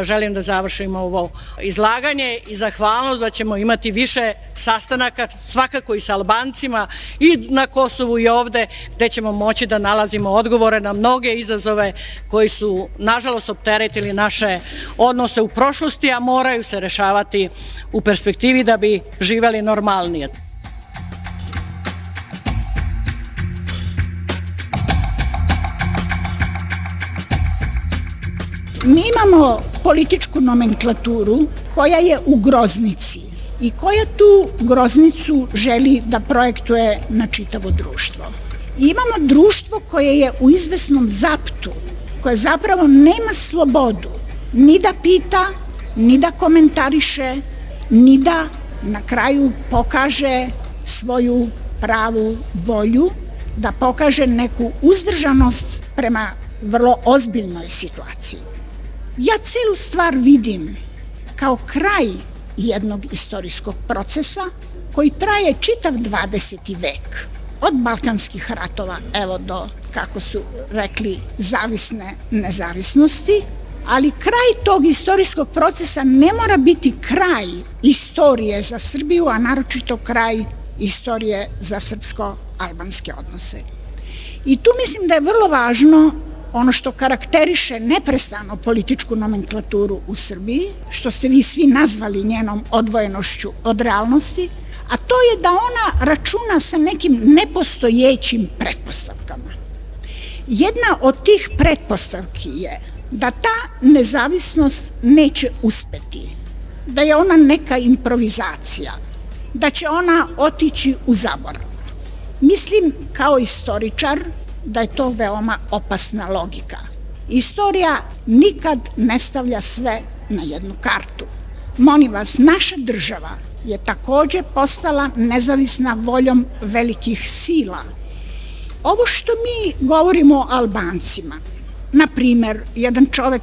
želim da završim ovo izlaganje i zahvalnost da ćemo imati više sastanaka, svakako i sa Albancima i na Kosovu i ovde, gde ćemo moći da nalazimo odgovore na mnoge izazove koji su nažalost opteretili naše odnose u prošlosti, a moraju se rešavati ostvarili u perspektivi da bi živeli normalnije. Mi imamo političku nomenklaturu koja je u groznici i koja tu groznicu želi da projektuje na čitavo društvo. I imamo društvo koje je u izvesnom zaptu, koje zapravo nema slobodu ni da pita, ni da komentariše, ni da na kraju pokaže svoju pravu volju, da pokaže neku uzdržanost prema vrlo ozbiljnoj situaciji. Ja celu stvar vidim kao kraj jednog istorijskog procesa koji traje čitav dvadeseti vek. Od balkanskih ratova, evo do, kako su rekli, zavisne nezavisnosti, ali kraj tog istorijskog procesa ne mora biti kraj istorije za Srbiju, a naročito kraj istorije za srpsko-albanske odnose. I tu mislim da je vrlo važno ono što karakteriše neprestano političku nomenklaturu u Srbiji, što ste vi svi nazvali njenom odvojenošću od realnosti, a to je da ona računa sa nekim nepostojećim pretpostavkama. Jedna od tih pretpostavki je da ta nezavisnost neće uspeti, da je ona neka improvizacija, da će ona otići u zaborav. Mislim kao istoričar da je to veoma opasna logika. Istorija nikad ne stavlja sve na jednu kartu. Molim vas, naša država je takođe postala nezavisna voljom velikih sila. Ovo što mi govorimo o Albancima, na primer, jedan čovek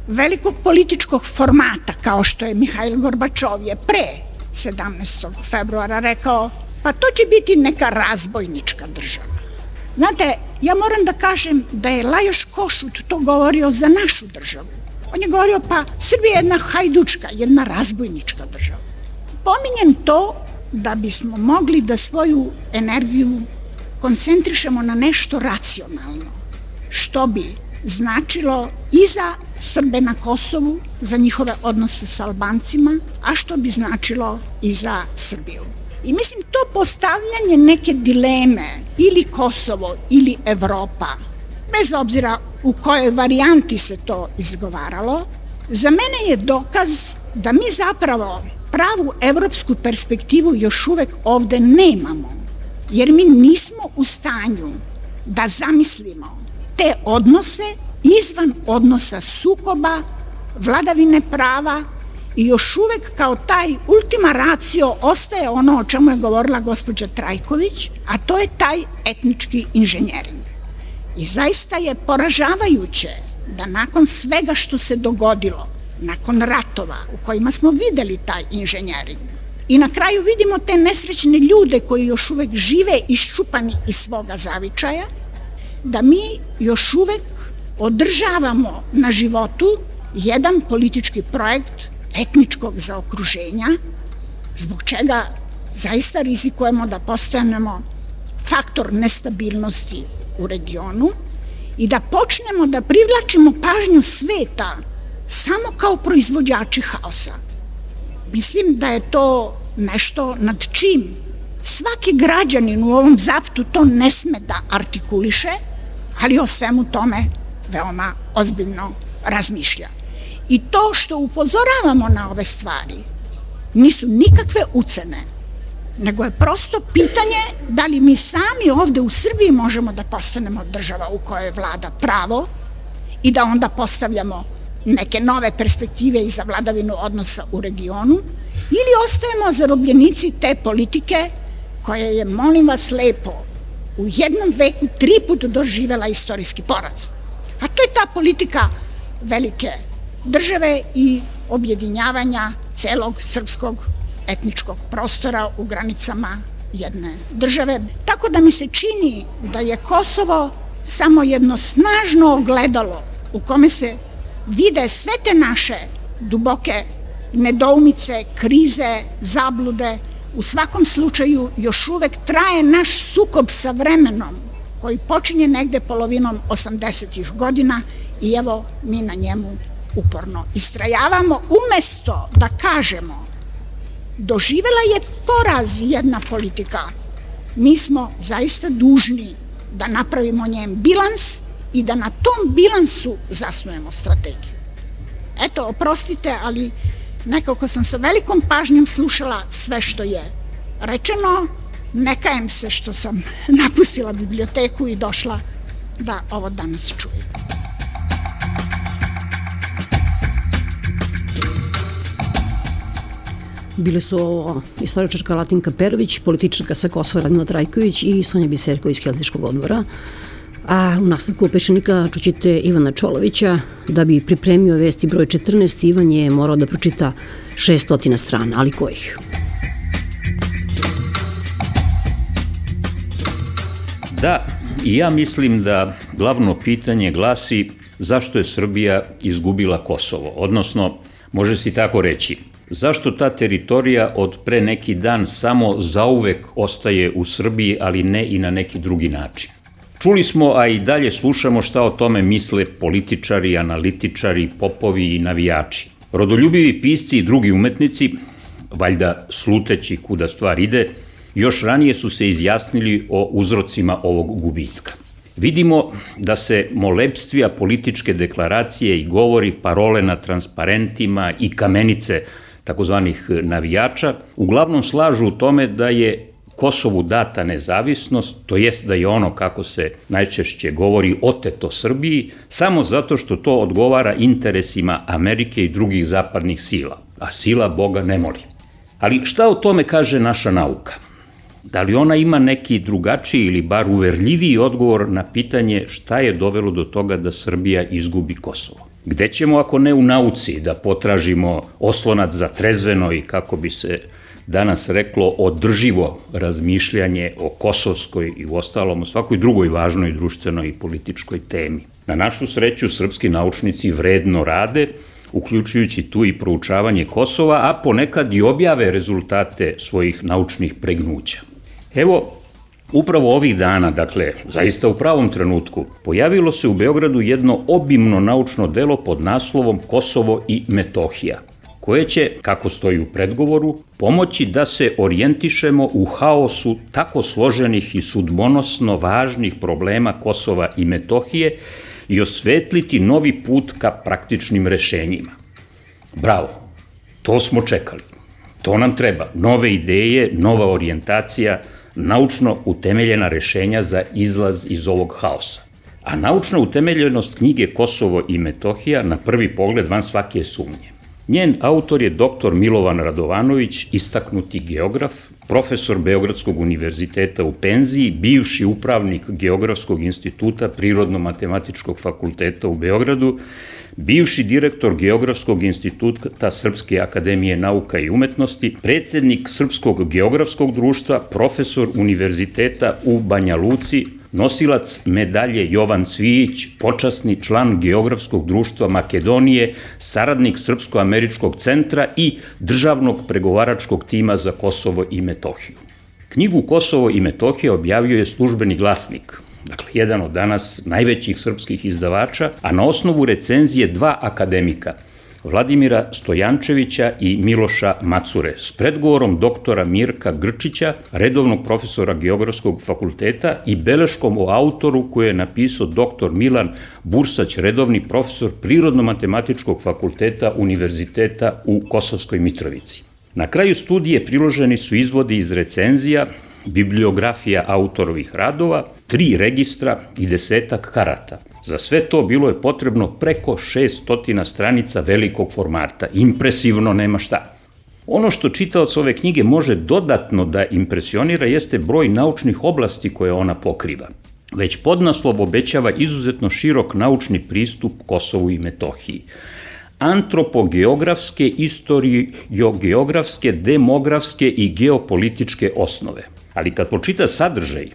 velikog političkog formata kao što je Mihajl Gorbačov je pre sedamnaestog februara rekao, pa to će biti neka razbojnička država. Znate, ja moram da kažem da je Lajoš Košut to govorio za našu državu. On je govorio, pa Srbija je jedna hajdučka, jedna razbojnička država. Pominjem to da bismo mogli da svoju energiju koncentrišemo na nešto racionalno, što bi značilo i za Srbe na Kosovu, za njihove odnose sa Albancima, a što bi značilo i za Srbiju. I mislim, to postavljanje neke dileme, ili Kosovo, ili Evropa, bez obzira u kojoj varijanti se to izgovaralo, za mene je dokaz da mi zapravo pravu evropsku perspektivu još uvek ovde nemamo, jer mi nismo u stanju da zamislimo te odnose izvan odnosa sukoba, vladavine prava i još uvek kao taj ultima ratio ostaje ono o čemu je govorila gospođa Trajković, a to je taj etnički inženjering. I zaista je poražavajuće da nakon svega što se dogodilo, nakon ratova u kojima smo videli taj inženjering i na kraju vidimo te nesrećne ljude koji još uvek žive iščupani iz svoga zavičaja, da mi još uvek održavamo na životu jedan politički projekt etničkog zaokruženja, zbog čega zaista rizikujemo da postanemo faktor nestabilnosti u regionu i da počnemo da privlačimo pažnju sveta samo kao proizvođači haosa. Mislim da je to nešto nad čim svaki građanin u ovom zaptu to ne sme da artikuliše, ali o svemu tome veoma ozbiljno razmišlja. I to što upozoravamo na ove stvari nisu nikakve ucene, nego je prosto pitanje da li mi sami ovde u Srbiji možemo da postanemo država u kojoj vlada pravo i da onda postavljamo neke nove perspektive i za vladavinu odnosa u regionu, ili ostajemo zarobljenici te politike koja je, molim vas lepo, u jednom veku tri put doživela istorijski poraz. A to je ta politika velike države i objedinjavanja celog srpskog etničkog prostora u granicama jedne države. Tako da mi se čini da je Kosovo samo jedno snažno ogledalo u kome se vide sve te naše duboke nedoumice, krize, zablude. U svakom slučaju još uvek traje naš sukob sa vremenom koji počinje negde polovinom osamdesetih godina i evo mi na njemu uporno istrajavamo, umesto da kažemo doživela je poraz jedna politika. Mi smo zaista dužni da napravimo njen bilans i da na tom bilansu zasnujemo strategiju. Eto, oprostite, ali nekako sam sa velikom pažnjom slušala sve što je rečeno. Ne kajem se što sam napustila biblioteku i došla da ovo danas čujem. Bile su ovo istoričarka Latinka Perović, političarka sa Kosova Radmila Trajković i Sonja Biserko iz Helsinškog odbora. A u nastavku Pešenika čućete Ivana Čolovića. Da bi pripremio vesti broj četrnaest, Ivan je morao da pročita šeststotina strana, ali kojih? Da, i ja mislim da glavno pitanje glasi zašto je Srbija izgubila Kosovo, odnosno, može se tako reći, zašto ta teritorija od pre neki dan samo zauvek ostaje u Srbiji, ali ne i na neki drugi način. Čuli smo, a i dalje slušamo šta o tome misle političari, analitičari, popovi i navijači. Rodoljubivi pisci i drugi umetnici, valjda sluteći kuda stvar ide, još ranije su se izjasnili o uzrocima ovog gubitka. Vidimo da se molebstvija političke deklaracije i govori, parole na transparentima i kamenice takozvanih navijača uglavnom slažu u tome da je Kosovu data nezavisnost, to jest da je ono, kako se najčešće govori, oteto Srbiji, samo zato što to odgovara interesima Amerike i drugih zapadnih sila, a sila Boga ne moli. Ali šta o tome kaže naša nauka? Da li ona ima neki drugačiji ili bar uverljiviji odgovor na pitanje šta je dovelo do toga da Srbija izgubi Kosovo? Gde ćemo ako ne u nauci da potražimo oslonac za trezveno i, kako bi se danas reklo, održivo razmišljanje o kosovskoj i u ostalom o svakoj drugoj važnoj društvenoj i političkoj temi? Na našu sreću, srpski naučnici vredno rade, uključujući tu i proučavanje Kosova, a ponekad i objave rezultate svojih naučnih pregnuća. Evo, upravo ovih dana, dakle, zaista u pravom trenutku, pojavilo se u Beogradu jedno obimno naučno delo pod naslovom Kosovo i Metohija, koje će, kako stoji u predgovoru, pomoći da se orijentišemo u haosu tako složenih i sudbonosno važnih problema Kosova i Metohije i osvetliti novi put ka praktičnim rešenjima. Bravo, to smo čekali. To nam treba. Nove ideje, nova orijentacija, naučno utemeljena rešenja za izlaz iz ovog haosa. A naučna utemeljenost knjige Kosovo i Metohija na prvi pogled van svake sumnje. Njen autor je doktor Milovan Radovanović, istaknuti geograf, profesor Beogradskog univerziteta u penziji, bivši upravnik Geografskog instituta Prirodno-matematičkog fakulteta u Beogradu, bivši direktor Geografskog instituta Srpske akademije nauka i umetnosti, predsednik Srpskog geografskog društva, profesor univerziteta u Banja Luci, nosilac medalje Jovan Cvijić, počasni član Geografskog društva Makedonije, saradnik Srpsko-američkog centra i državnog pregovaračkog tima za Kosovo i Metohiju. Knjigu Kosovo i Metohija objavio je Službeni glasnik, dakle jedan od danas najvećih srpskih izdavača, a na osnovu recenzije dva akademika, Vladimira Stojančevića i Miloša Macure, s predgovorom doktora Mirka Grčića, redovnog profesora Geografskog fakulteta, i beleškom o autoru koju je napisao doktor Milan Bursać, redovni profesor Prirodno-matematičkog fakulteta Univerziteta u Kosovskoj Mitrovici. Na kraju studije priloženi su izvodi iz recenzija, bibliografija autorovih radova, tri registra i desetak karata. Za sve to bilo je potrebno preko šeststotina stranica velikog formata. Impresivno, nema šta. Ono što čitaoc ove knjige može dodatno da impresionira jeste broj naučnih oblasti koje ona pokriva. Već podnaslov obećava izuzetno širok naučni pristup Kosovu i Metohiji. Antropogeografske, istoriogeografske, demografske i geopolitičke osnove. Ali kad pročita sadržaj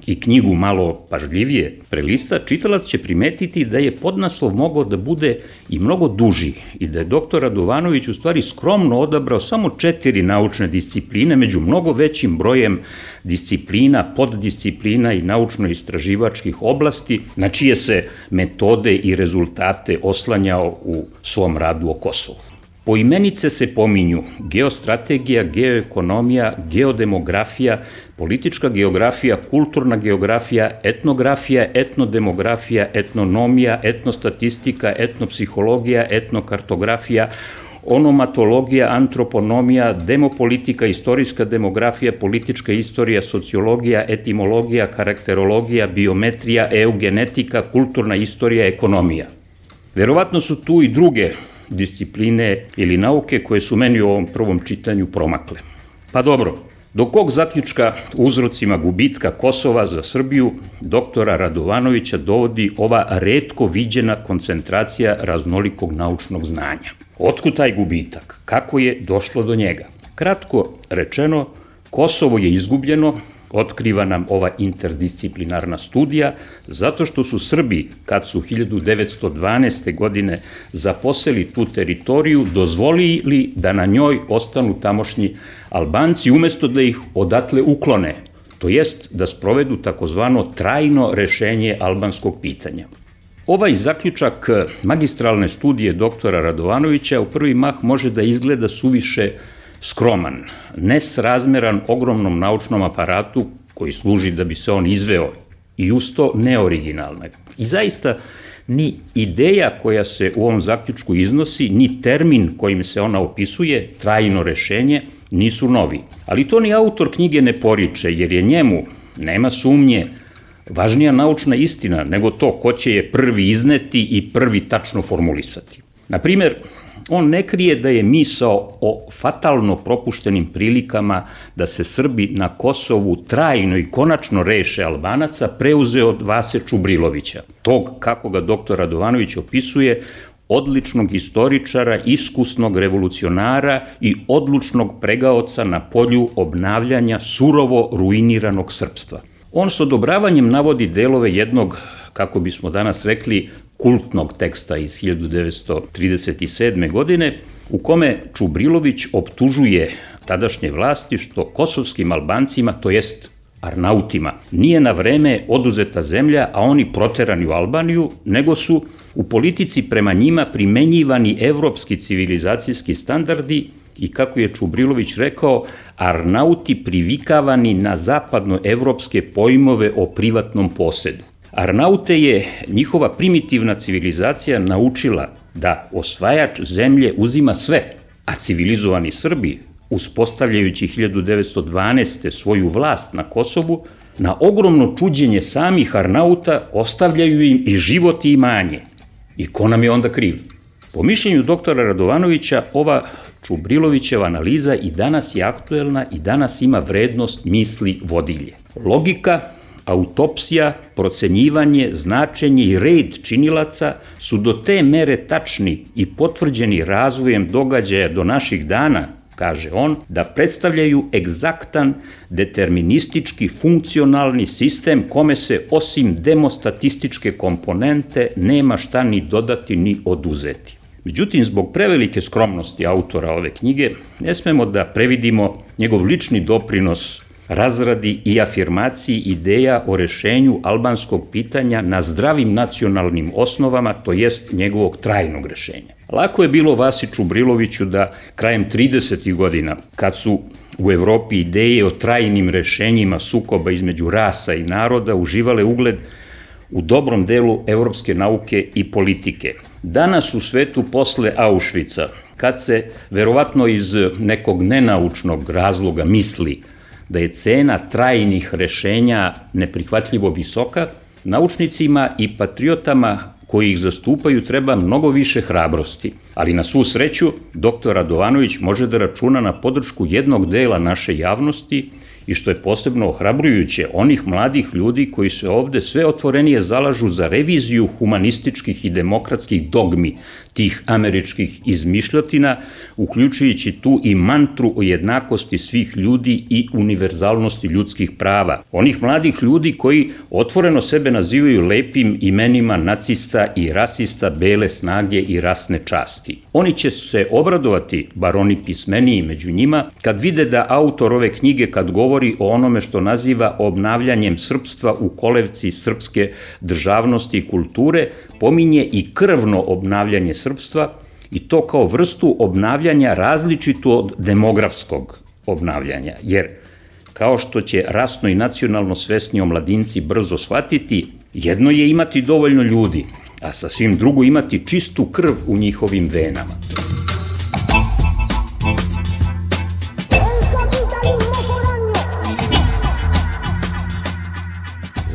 i knjigu malo pažljivije prelista, čitalac će primetiti da je podnaslov mogao da bude i mnogo duži i da je doktor Radovanović u stvari skromno odabrao samo četiri naučne discipline među mnogo većim brojem disciplina, poddisciplina i naučno-istraživačkih oblasti na čije se metode i rezultate oslanjao u svom radu o Kosovu. Poimenice se pominju geostrategija, geoekonomija, geodemografija, politička geografija, kulturna geografija, etnografija, etnodemografija, etnonomija, etnostatistika, etnopsihologija, etnokartografija, onomatologija, antroponomija, demopolitika, istorijska demografija, politička istorija, sociologija, etimologija, karakterologija, biometrija, eugenetika, kulturna istorija, ekonomija. Verovatno su tu i druge discipline ili nauke koje su meni u ovom prvom čitanju promakle. Pa dobro, do kog zaključka uzrocima gubitka Kosova za Srbiju doktora Radovanovića dovodi ova retko viđena koncentracija raznolikog naučnog znanja? Otkud taj gubitak? Kako je došlo do njega? Kratko rečeno, Kosovo je izgubljeno, otkriva nam ova interdisciplinarna studija, zato što su Srbi, kad su hiljadu devetsto dvanaeste. godine zaposeli tu teritoriju, dozvolili da na njoj ostanu tamošnji Albanci, umesto da ih odatle uklone, to jest da sprovedu takozvano trajno rešenje albanskog pitanja. Ovaj zaključak magistralne studije doktora Radovanovića u prvi mah može da izgleda suviše skroman, nesrazmeran ogromnom naučnom aparatu koji služi da bi se on izveo i usto neoriginalna. I zaista ni ideja koja se u ovom zaključku iznosi, ni termin kojim se ona opisuje, trajno rešenje, nisu novi. Ali to ni autor knjige ne poriče, jer je njemu, nema sumnje, važnija naučna istina nego to ko će je prvi izneti i prvi tačno formulisati. Naprimer, on ne krije da je misao o fatalno propuštenim prilikama da se Srbi na Kosovu trajno i konačno reše Albanaca preuzeo od Vase Čubrilovića, tog, kako ga doktor Radovanović opisuje, odličnog istoričara, iskusnog revolucionara i odlučnog pregaoca na polju obnavljanja surovo ruiniranog srpstva. On s odobravanjem navodi delove jednog, kako bismo danas rekli, kultnog teksta iz hiljadu devetsto trideset sedme. godine, u kome Čubrilović optužuje tadašnje vlasti što kosovskim Albancima, to jest Arnautima, nije na vreme oduzeta zemlja, a oni proterani u Albaniju, nego su u politici prema njima primenjivani evropski civilizacijski standardi i, kako je Čubrilović rekao, Arnauti privikavani na zapadnoevropske pojmove o privatnom posedu. Arnaute je njihova primitivna civilizacija naučila da osvajač zemlje uzima sve, a civilizovani Srbi, uspostavljajući hiljadu devetsto dvanaeste. svoju vlast na Kosovu, na ogromno čuđenje samih Arnauta ostavljaju im i život i imanje. I ko nam je onda kriv? Po mišljenju doktora Radovanovića, ova Čubrilovićeva analiza i danas je aktuelna i danas ima vrednost misli vodilje. Logika, autopsija, procenjivanje, značenje i red činilaca su do te mere tačni i potvrđeni razvojem događaja do naših dana, kaže on, da predstavljaju egzaktan, deterministički, funkcionalni sistem kome se osim demostatističke komponente nema šta ni dodati ni oduzeti. Međutim, zbog prevelike skromnosti autora ove knjige, ne smemo da previdimo njegov lični doprinos razradi i afirmaciji ideja o rešenju albanskog pitanja na zdravim nacionalnim osnovama, to jest njegovog trajnog rešenja. Lako je bilo Vasi Čubriloviću da krajem tridesetih godina, kad su u Evropi ideje o trajnim rešenjima sukoba između rasa i naroda uživale ugled u dobrom delu evropske nauke i politike. Danas u svetu posle Auschwitza, kad se verovatno iz nekog nenaučnog razloga misli da je cena trajnih rešenja neprihvatljivo visoka, naučnicima i patriotama koji ih zastupaju treba mnogo više hrabrosti. Ali na svu sreću, doktor Radovanović može da računa na podršku jednog dela naše javnosti i, što je posebno ohrabrujuće, onih mladih ljudi koji se ovde sve otvorenije zalažu za reviziju humanističkih i demokratskih dogmi tih američkih izmišljotina, uključujući tu i mantru o jednakosti svih ljudi i univerzalnosti ljudskih prava. Onih mladih ljudi koji otvoreno sebe nazivaju lepim imenima nacista i rasista, bele snage i rasne časti. Oni će se obradovati, bar oni pismeniji među njima, kad vide da autor ove knjige, kad govori o onome što naziva obnavljanjem srpstva u kolevci srpske državnosti i kulture, pominje i krvno obnavljanje srpstva i to kao vrstu obnavljanja različitu od demografskog obnavljanja, jer kao što će rasno i nacionalno svesni omladinci brzo shvatiti, jedno je imati dovoljno ljudi, a sasvim drugo imati čistu krv u njihovim venama.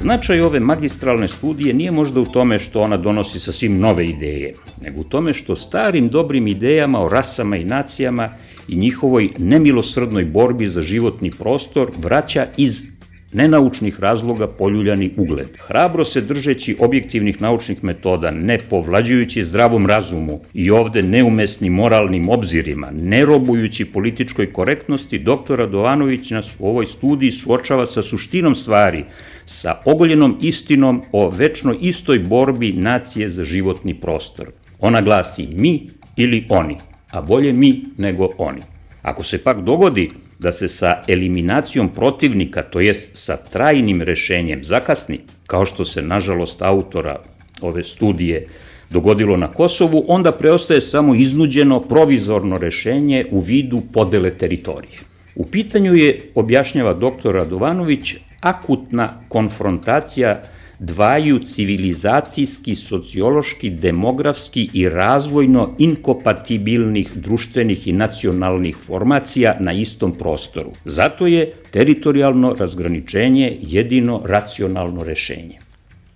Značaj ove magistralne studije nije možda u tome što ona donosi sasvim nove ideje, nego u tome što starim dobrim idejama o rasama i nacijama i njihovoj nemilosrdnoj borbi za životni prostor vraća iz nenaučnih razloga poljuljani ugled. Hrabro se držeći objektivnih naučnih metoda, ne povlađujući zdravom razumu i ovde neumesnim moralnim obzirima, ne robujući političkoj korektnosti, doktor Radovanović nas u ovoj studiji suočava sa suštinom stvari, sa ogoljenom istinom o večno istoj borbi nacije za životni prostor. Ona glasi mi ili oni, a bolje mi nego oni. Ako se pak dogodi da se sa eliminacijom protivnika, to jest sa trajnim rešenjem zakasni, kao što se nažalost autora ove studije dogodilo na Kosovu, onda preostaje samo iznuđeno provizorno rešenje u vidu podele teritorije. U pitanju je, objašnjava doktor Radovanović, akutna konfrontacija dvaju civilizacijski, sociološki, demografski i razvojno inkompatibilnih društvenih i nacionalnih formacija na istom prostoru. Zato je teritorijalno razgraničenje jedino racionalno rešenje.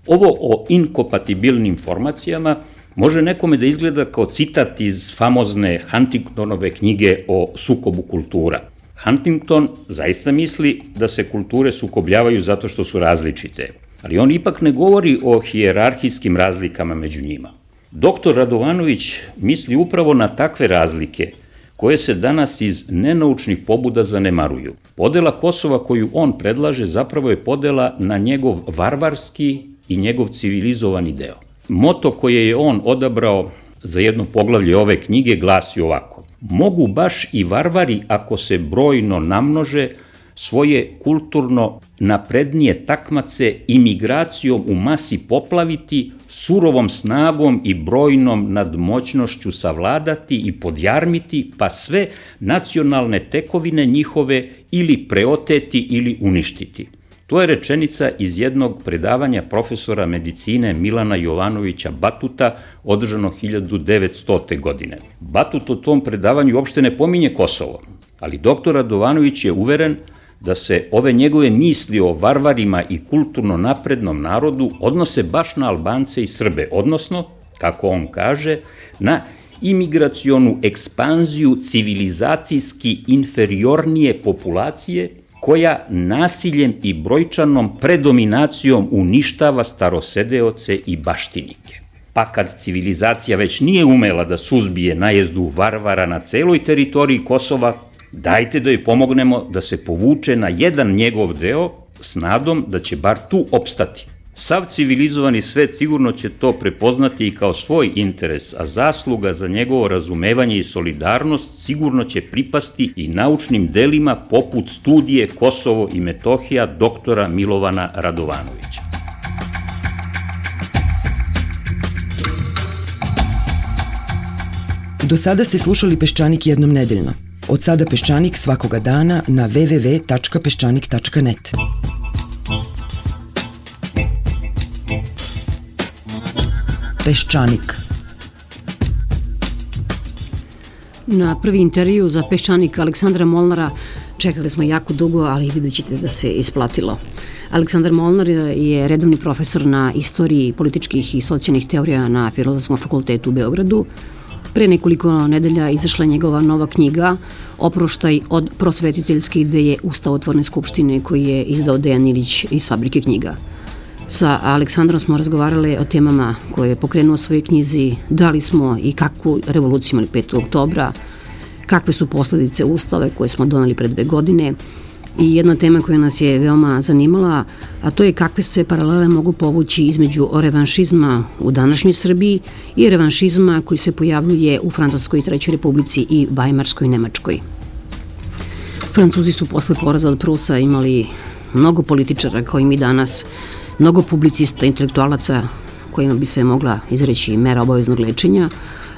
Ovo o inkompatibilnim formacijama može nekome da izgleda kao citat iz famozne Huntingtonove knjige o sukobu kultura. Huntington zaista misli da se kulture sukobljavaju zato što su različite, ali on ipak ne govori o hijerarhijskim razlikama među njima. Doktor Radovanović misli upravo na takve razlike koje se danas iz nenaučnih pobuda zanemaruju. Podela Kosova koju on predlaže zapravo je podela na njegov varvarski i njegov civilizovani deo. Moto koje je on odabrao za jedno poglavlje ove knjige glasi ovako: mogu baš i varvari, ako se brojno namnože, svoje kulturno naprednije takmace imigracijom u masi poplaviti, surovom snagom i brojnom nadmoćnošću savladati i podjarmiti, pa sve nacionalne tekovine njihove ili preoteti ili uništiti. To je rečenica iz jednog predavanja profesora medicine Milana Jovanovića Batuta, održano hiljadu devetstote. godine. Batut u tom predavanju uopšte ne pominje Kosovo, ali doktor Radovanović je uveren da se ove njegove misli o varvarima i kulturno naprednom narodu odnose baš na Albance i Srbe, odnosno, kako on kaže, na imigracionu ekspanziju civilizacijski inferiornije populacije koja nasiljem i brojčanom predominacijom uništava starosedeoce i baštinike. Pa kad civilizacija već nije umela da suzbije najezdu varvara na celoj teritoriji Kosova, dajte da joj pomognemo da se povuče na jedan njegov deo s nadom da će bar tu opstati. Sav civilizovani svet sigurno će to prepoznati i kao svoj interes, a zasluga za njegovo razumevanje i solidarnost sigurno će pripasti i naučnim delima poput studije Kosovo i Metohija doktora Milovana Radovanovića. Do sada ste slušali Peščanik jednom nedeljno. Od sada Peščanik svakoga dana na w w w tačka peščanik tačka net. Peščanik. Na prvi intervju za Peščanik Aleksandra Molnara čekali smo jako dugo, ali vidjet ćete da se isplatilo. Aleksandar Molnar je redovni profesor na istoriji političkih i socijalnih teorija na Filozofskom fakultetu u Beogradu. Pre nekoliko nedelja izašla njegova nova knjiga Oproštaj od prosvetiteljske ideje Ustavotvorne skupštine, koji je izdao Dejan Ilić iz Fabrike knjiga. Sa Aleksandrom smo razgovarali o temama koje je pokrenuo u svojoj knjizi, da li smo i kakvu revoluciju imali petog oktobra, kakve su posledice Ustave koje smo doneli pre dve godine i jedna tema koja nas je veoma zanimala, a to je kakve se paralele mogu povući između revanšizma u današnjoj Srbiji i revanšizma koji se pojavljuje u Francuskoj trećoj republici i Vajmarskoj Nemačkoj. Francuzi su posle poraza od Prusa imali mnogo političara kao i mi danas, mnogo publicista, intelektualaca kojima bi se mogla izreći mera obaveznog lečenja,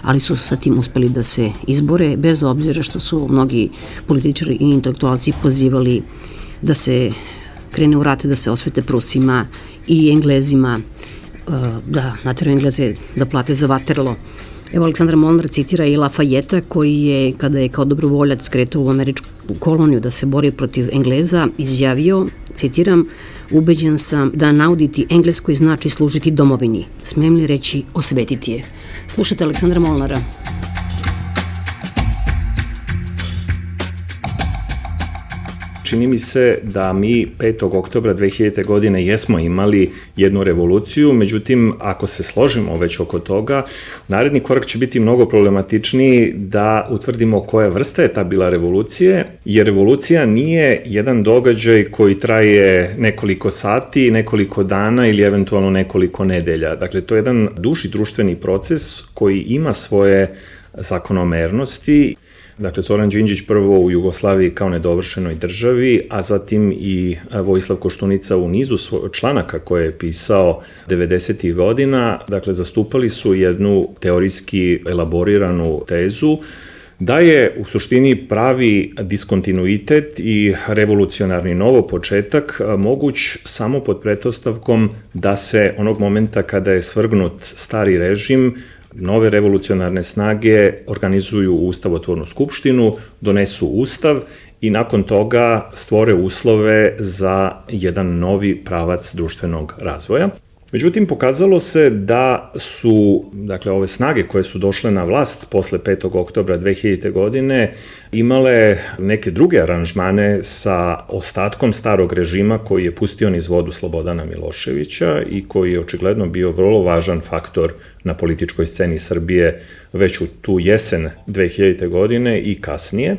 ali su sa tim uspeli da se izbore, bez obzira što su mnogi političari i intelektualci pozivali da se krene u rat, da se osvete Prusima i Englezima, da nateraju Engleze da plate za Waterloo. Evo, Aleksandar Molnar citira i Lafayette, koji je, kada je kao dobrovoljac kretao u američku koloniju da se bori protiv Engleza, izjavio, citiram, ubeđen sam da nauditi Engleskoj znači služiti domovini. Smem li reći osvetiti je? Slušajte Aleksandra Molnara. Čini mi se da mi petog oktobra dve hiljadite. godine jesmo imali jednu revoluciju, međutim, ako se složimo već oko toga, naredni korak će biti mnogo problematičniji da utvrdimo koja vrsta je ta bila revolucije, jer revolucija nije jedan događaj koji traje nekoliko sati, nekoliko dana ili eventualno nekoliko nedelja. Dakle, to je jedan duži društveni proces koji ima svoje zakonomernosti. Dakle, Zoran Đinđić prvo u Jugoslaviji kao nedovršenoj državi, a zatim i Vojislav Koštunica u nizu članaka koje je pisao devedesetih godina, dakle, zastupali su jednu teorijski elaboriranu tezu da je u suštini pravi diskontinuitet i revolucionarni novo početak moguć samo pod pretpostavkom da se onog momenta kada je svrgnut stari režim, nove revolucionarne snage organizuju ustavotvornu skupštinu, donesu ustav i nakon toga stvore uslove za jedan novi pravac društvenog razvoja. Međutim, pokazalo se da su, dakle, ove snage koje su došle na vlast posle petog oktobra dve hiljadite. godine imale neke druge aranžmane sa ostatkom starog režima koji je pustio niz vodu Slobodana Miloševića i koji je očigledno bio vrlo važan faktor na političkoj sceni Srbije već u tu jesen dve hiljadite. godine i kasnije.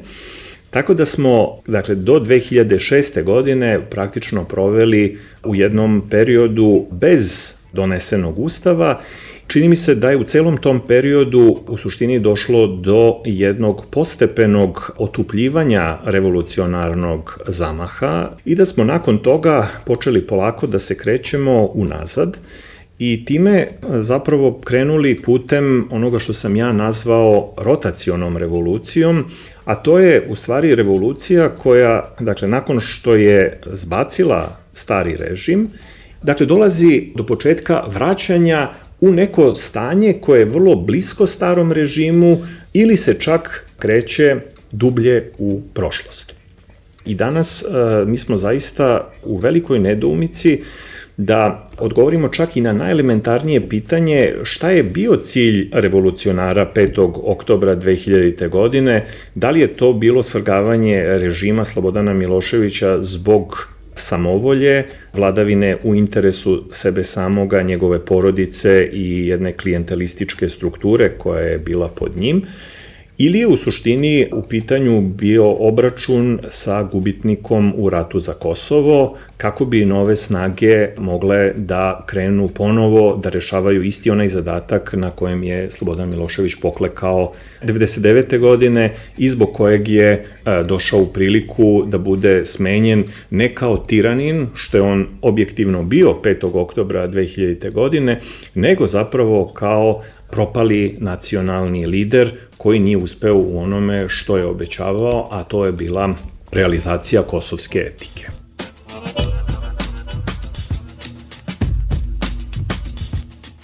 Tako da smo, dakle, do dve hiljade šeste. godine praktično proveli u jednom periodu bez donesenog ustava. Čini mi se da je u celom tom periodu u suštini došlo do jednog postepenog otupljivanja revolucionarnog zamaha i da smo nakon toga počeli polako da se krećemo unazad i time zapravo krenuli putem onoga što sam ja nazvao rotacionom revolucijom, a to je u stvari revolucija koja, dakle, nakon što je zbacila stari režim, dakle, dolazi do početka vraćanja u neko stanje koje je vrlo blisko starom režimu ili se čak kreće dublje u prošlost. I danas mi smo zaista u velikoj nedoumici da odgovorimo čak i na najelementarnije pitanje šta je bio cilj revolucionara petog oktobra dve hiljadite. godine, da li je to bilo svrgavanje režima Slobodana Miloševića zbog samovolje, vladavine u interesu sebe samoga, njegove porodice i jedne klijentelističke strukture koja je bila pod njim, ili je u suštini u pitanju bio obračun sa gubitnikom u ratu za Kosovo, kako bi nove snage mogle da krenu ponovo da rešavaju isti onaj zadatak na kojem je Slobodan Milošević poklekao devedeset devete. godine i zbog kojeg je došao u priliku da bude smenjen ne kao tiranin, što je on objektivno bio petog oktobra dve hiljadite. godine, nego zapravo kao propali nacionalni lider koji nije uspeo u onome što je obećavao, a to je bila realizacija kosovske etike.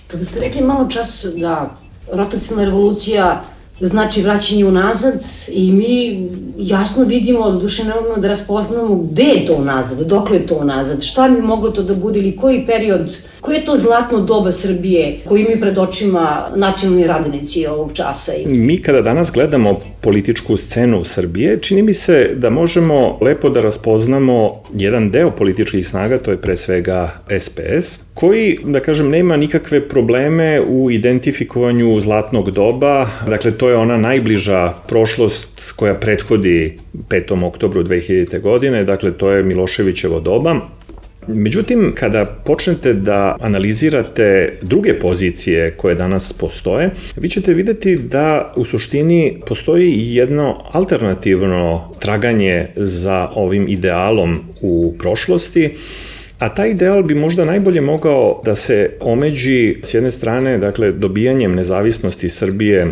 Kada ste rekli malo čas da rotacijna revolucija znači vraćanje unazad i mi jasno vidimo, doduše ne možemo da raspoznamo gde je to unazad, dokle je to unazad, šta bi moglo to da bude ili koji period, koji je to zlatno doba Srbije koji mi pred očima nacionalni radnici ovog časa? Mi kada danas gledamo političku scenu Srbije, čini mi se da možemo lepo da raspoznamo jedan deo političkih snaga, to je pre svega es pe es, koji, da kažem, nema nikakve probleme u identifikovanju zlatnog doba, dakle to je ona najbliža prošlost koja prethodi petom oktobru dve hiljadite. godine, dakle to je Miloševićevo doba. Međutim, kada počnete da analizirate druge pozicije koje danas postoje, vi ćete videti da u suštini postoji jedno alternativno traganje za ovim idealom u prošlosti, a taj ideal bi možda najbolje mogao da se omeđi s jedne strane, dakle, dobijanjem nezavisnosti Srbije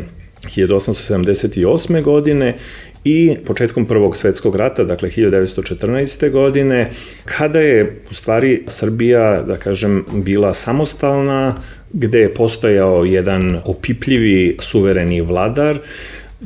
hiljadu osamsto sedamdeset osme. godine i početkom Prvog svetskog rata, dakle hiljadu devetsto četrnaeste. godine, kada je u stvari Srbija, da kažem, bila samostalna, gde je postojao jedan opipljivi suvereni vladar,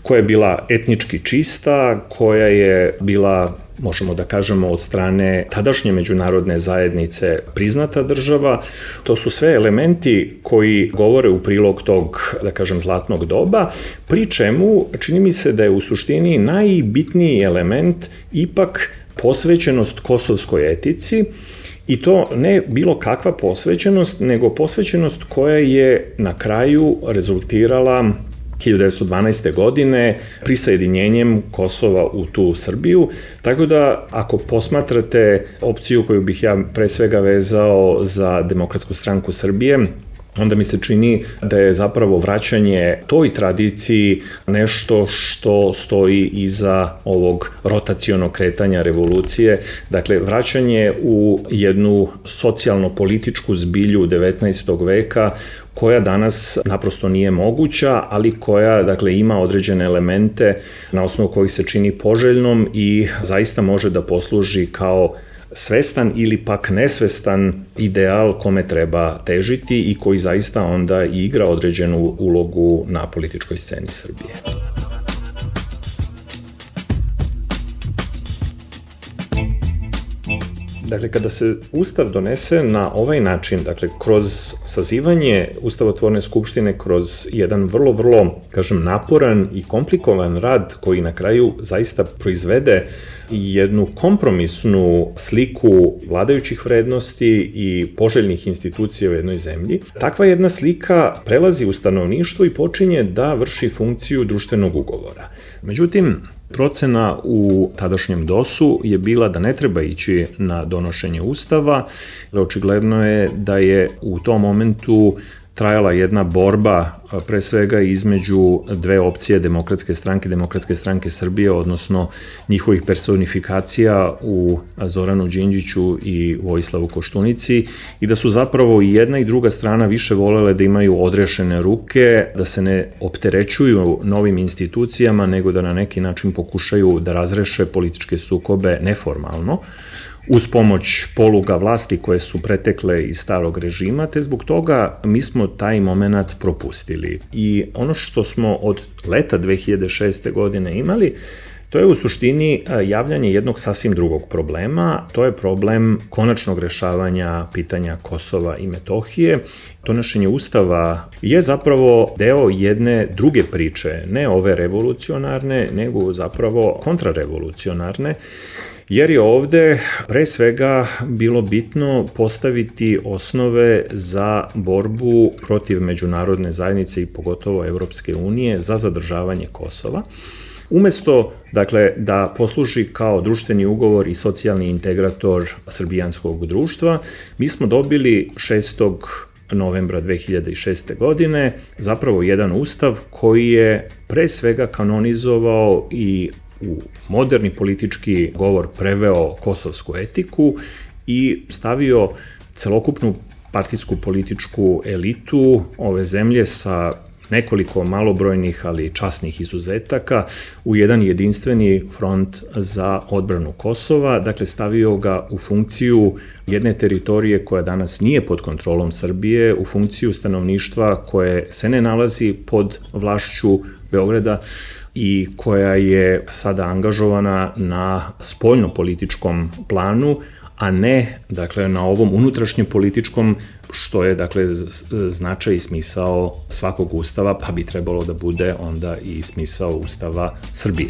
koja je bila etnički čista, koja je bila, možemo da kažemo, od strane tadašnje međunarodne zajednice priznata država. To su sve elementi koji govore u prilog tog, da kažem, zlatnog doba, pri čemu čini mi se da je u suštini najbitniji element ipak posvećenost kosovskoj etici, i to ne bilo kakva posvećenost, nego posvećenost koja je na kraju rezultirala hiljadu devetsto dvanaeste. godine prisajedinjenjem Kosova u tu Srbiju. Tako da, ako posmatrate opciju koju bih ja pre svega vezao za Demokratsku stranku Srbije, onda mi se čini da je zapravo vraćanje toj tradiciji nešto što stoji iza ovog rotacionog kretanja revolucije. Dakle, vraćanje u jednu socijalno-političku zbilju devetnaestog veka, koja danas naprosto nije moguća, ali koja, dakle, ima određene elemente na osnovu kojih se čini poželjnom i zaista može da posluži kao svestan ili pak nesvestan ideal kome treba težiti i koji zaista onda igra određenu ulogu na političkoj sceni Srbije. Dakle, kada se Ustav donese na ovaj način, dakle, kroz sazivanje Ustavotvorne skupštine, kroz jedan vrlo, vrlo, kažem, naporan i komplikovan rad koji na kraju zaista proizvede jednu kompromisnu sliku vladajućih vrednosti i poželjnih institucija u jednoj zemlji, takva jedna slika prelazi u stanovništvo i počinje da vrši funkciju društvenog ugovora. Međutim, procena u tadašnjem dosu je bila da ne treba ići na donošenje Ustava, jer očigledno je da je u tom momentu trajala jedna borba pre svega između dve opcije Demokratske stranke, Demokratske stranke Srbije, odnosno njihovih personifikacija u Zoranu Đinđiću i Vojislavu Koštunici, i da su zapravo i jedna i druga strana više volele da imaju odrešene ruke, da se ne opterećuju novim institucijama, nego da na neki način pokušaju da razreše političke sukobe neformalno, uz pomoć poluga vlasti koje su pretekle iz starog režima, te zbog toga mi smo taj moment propustili. I ono što smo od leta dve hiljade šeste. godine imali, to je u suštini javljanje jednog sasvim drugog problema, to je problem konačnog rešavanja pitanja Kosova i Metohije. Donošenje Ustava je zapravo deo jedne druge priče, ne ove revolucionarne, nego zapravo kontrarevolucionarne, jer je ovde pre svega bilo bitno postaviti osnove za borbu protiv međunarodne zajednice i pogotovo Evropske unije za zadržavanje Kosova. Umesto, dakle, da posluži kao društveni ugovor i socijalni integrator srbijanskog društva, mi smo dobili šestog novembra dve hiljade šeste. godine zapravo jedan ustav koji je pre svega kanonizovao i u moderni politički govor preveo kosovsku etiku i stavio celokupnu partijsku političku elitu ove zemlje sa nekoliko malobrojnih, ali časnih izuzetaka u jedan jedinstveni front za odbranu Kosova, dakle stavio ga u funkciju jedne teritorije koja danas nije pod kontrolom Srbije, u funkciju stanovništva koje se ne nalazi pod vlašću Beograda i koja je sada angažovana na spoljno-političkom planu, a ne, dakle, na ovom unutrašnjem političkom, što je, dakle, značaj i smisao svakog ustava, pa bi trebalo da bude onda i smisao Ustava Srbije.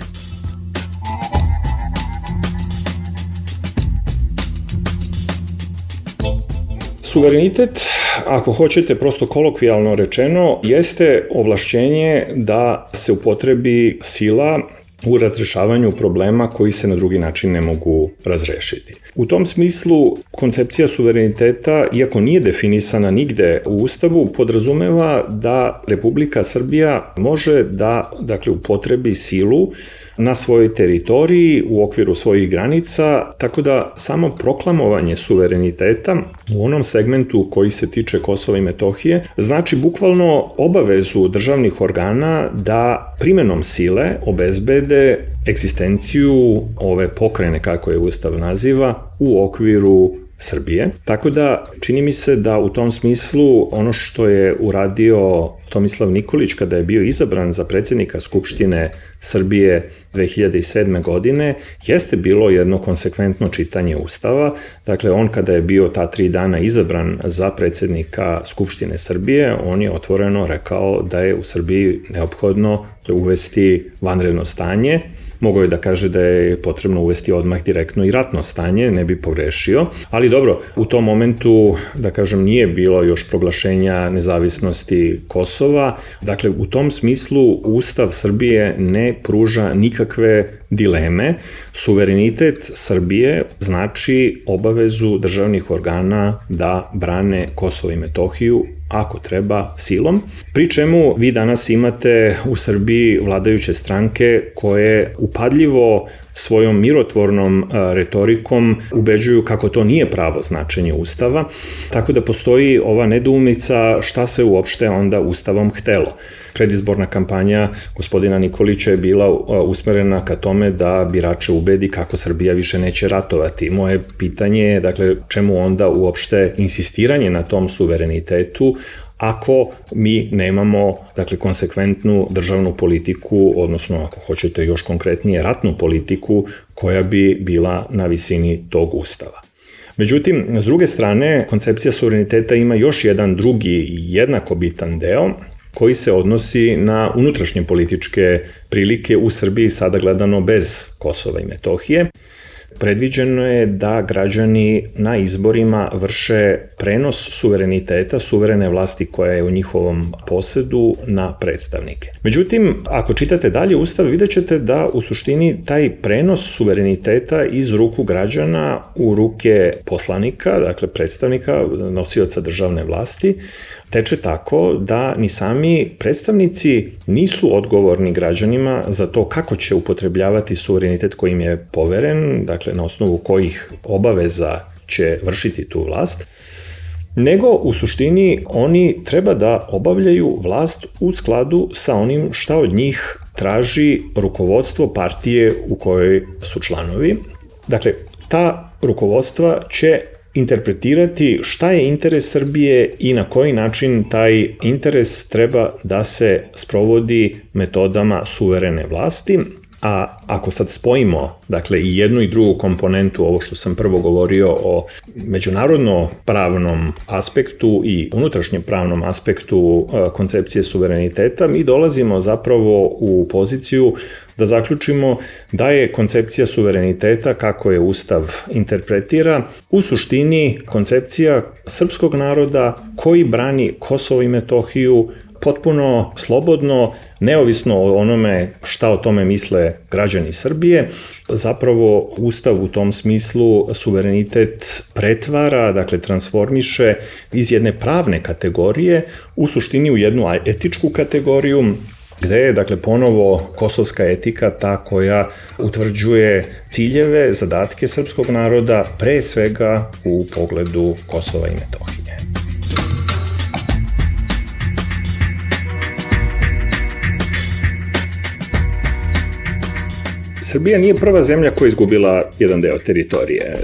Suverenitet, ako hoćete prosto kolokvijalno rečeno, jeste ovlašćenje da se upotrebi sila u razrešavanju problema koji se na drugi način ne mogu razrešiti. U tom smislu, koncepcija suvereniteta, iako nije definisana nigde u Ustavu, podrazumeva da Republika Srbija može da, dakle, upotrebi silu na svojoj teritoriji u okviru svojih granica, tako da samo proklamovanje suvereniteta u onom segmentu koji se tiče Kosova i Metohije znači bukvalno obavezu državnih organa da primenom sile obezbede egzistenciju ove pokrajine, kako je Ustav naziva, u okviru Srbije. Tako da čini mi se da u tom smislu ono što je uradio Tomislav Nikolić kada je bio izabran za predsjednika Skupštine Srbije dve hiljade sedme. godine jeste bilo jedno konsekventno čitanje Ustava. Dakle, on kada je bio ta tri dana izabran za predsjednika Skupštine Srbije, on je otvoreno rekao da je u Srbiji neophodno uvesti vanredno stanje. Mogao je da kaže da je potrebno uvesti odmah direktno i ratno stanje, ne bi pogrešio. Ali dobro, u tom momentu, da kažem, nije bilo još proglašenja nezavisnosti Kosova. Dakle, u tom smislu Ustav Srbije ne pruža nikakve dileme. Suverenitet Srbije znači obavezu državnih organa da brane Kosovo i Metohiju, ako treba, silom. Pri čemu vi danas imate u Srbiji vladajuće stranke koje upadljivo svojom mirotvornom retorikom ubeđuju kako to nije pravo značenje Ustava, tako da postoji ova nedoumica šta se uopšte onda Ustavom htelo. Predizborna kampanja gospodina Nikolića je bila usmerena ka tome da birače ubedi kako Srbija više neće ratovati. Moje pitanje je, dakle, čemu onda uopšte insistiranje na tom suverenitetu ako mi nemamo, dakle, konsekventnu državnu politiku, odnosno ako hoćete još konkretnije ratnu politiku koja bi bila na visini tog Ustava. Međutim, s druge strane, koncepcija suvereniteta ima još jedan drugi jednako bitan deo koji se odnosi na unutrašnje političke prilike u Srbiji, sada gledano bez Kosova i Metohije. Predviđeno je da građani na izborima vrše prenos suvereniteta, suverene vlasti koja je u njihovom posedu, na predstavnike. Međutim, ako čitate dalje Ustav, vidjet ćete da u suštini taj prenos suvereniteta iz ruku građana u ruke poslanika, dakle predstavnika, nosioca državne vlasti, teče tako da ni sami predstavnici nisu odgovorni građanima za to kako će upotrebljavati suverenitet koji im je poveren, dakle na osnovu kojih obaveza će vršiti tu vlast, nego u suštini oni treba da obavljaju vlast u skladu sa onim šta od njih traži rukovodstvo partije u kojoj su članovi. Dakle, ta rukovodstva će interpretirati šta je interes Srbije i na koji način taj interes treba da se sprovodi metodama suverene vlasti. A ako sad spojimo, dakle, i jednu i drugu komponentu, ovo što sam prvo govorio o međunarodno pravnom aspektu i unutrašnjem pravnom aspektu koncepcije suvereniteta, mi dolazimo zapravo u poziciju da zaključimo da je koncepcija suvereniteta, kako je Ustav interpretira, u suštini koncepcija srpskog naroda koji brani Kosovo i Metohiju potpuno slobodno, neovisno o onome šta o tome misle građani Srbije. Zapravo Ustav u tom smislu suverenitet pretvara, dakle transformiše iz jedne pravne kategorije u suštini u jednu etičku kategoriju, gde je, dakle, ponovo kosovska etika ta koja utvrđuje ciljeve, zadatke srpskog naroda, pre svega u pogledu Kosova i Metohije. Srbija nije prva zemlja koja je izgubila jedan deo teritorije.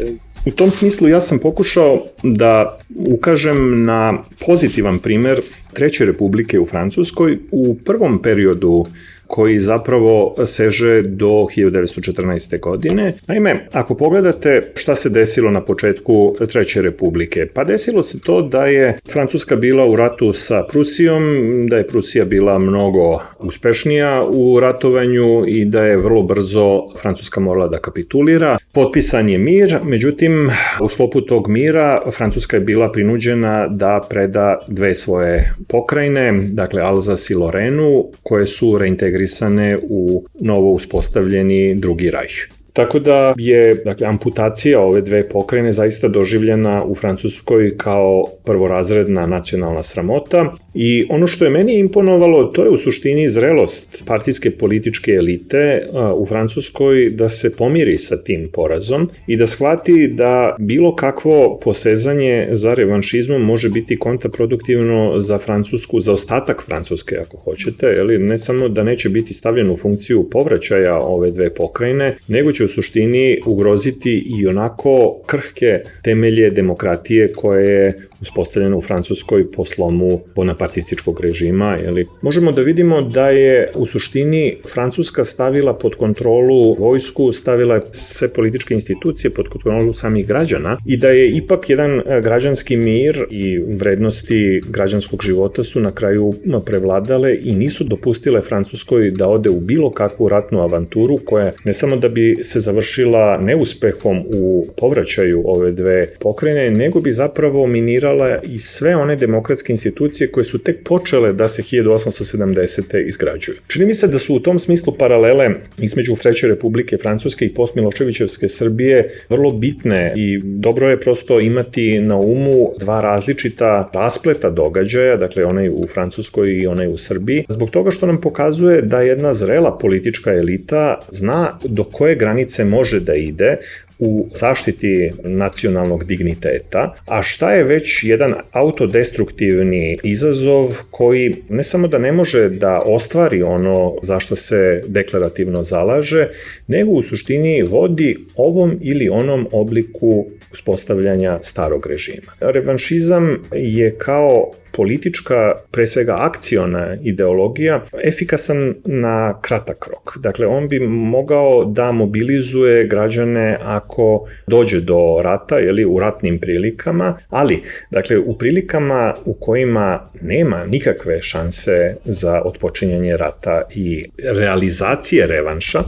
U tom smislu ja sam pokušao da ukažem na pozitivan primer Treće republike u Francuskoj u prvom periodu koji zapravo seže do hiljadu devetsto četrnaeste. godine. Naime, ako pogledate šta se desilo na početku Treće republike, pa desilo se to da je Francuska bila u ratu sa Prusijom, da je Prusija bila mnogo uspešnija u ratovanju i da je vrlo brzo Francuska morala da kapitulira. Potpisan je mir, međutim, u sklopu tog mira Francuska je bila prinuđena da preda dve svoje pokrajine, dakle Alzas i Lorenu, koje su reintegrirane integrisane u novo uspostavljeni drugi rajh. Tako da je, dakle, amputacija ove dve pokrajine zaista doživljena u Francuskoj kao prvorazredna nacionalna sramota i ono što je meni imponovalo, to je u suštini zrelost partijske političke elite u Francuskoj da se pomiri sa tim porazom i da shvati da bilo kakvo posezanje za revanšizmom može biti kontraproduktivno za Francusku, za ostatak Francuske ako hoćete, ali ne samo da neće biti stavljeno u funkciju povraćaja ove dve pokrajine, nego će u suštini ugroziti i onako krhke temelje demokratije koje je uspostavljeno u Francuskoj po slomu bonapartističkog režima. Jeli. Možemo da vidimo da je u suštini Francuska stavila pod kontrolu vojsku, stavila sve političke institucije pod kontrolu samih građana i da je ipak jedan građanski mir i vrednosti građanskog života su na kraju prevladale i nisu dopustile Francuskoj da ode u bilo kakvu ratnu avanturu koja ne samo da bi se završila neuspehom u povraćaju ove dve pokrajine, nego bi zapravo minirala i sve one demokratske institucije koje su tek počele da se hiljadu osamsto sedamdesete. izgrađuju. Čini mi se da su u tom smislu paralele između Treće republike Francuske i postmiloševićevske Srbije vrlo bitne i dobro je prosto imati na umu dva različita raspleta događaja, dakle onaj u Francuskoj i onaj u Srbiji, zbog toga što nam pokazuje da jedna zrela politička elita zna do koje granice može da ide u zaštiti nacionalnog digniteta, a šta je već jedan autodestruktivni izazov koji ne samo da ne može da ostvari ono za što se deklarativno zalaže, nego u suštini vodi ovom ili onom obliku uspostavljanja starog režima. Revanšizam je kao politička, pre svega akciona ideologija, efikasan na kratak rok. Dakle, on bi mogao da mobilizuje građane ako dođe do rata, ili u ratnim prilikama, ali, dakle, u prilikama u kojima nema nikakve šanse za otpočinjanje rata i realizacije revanša,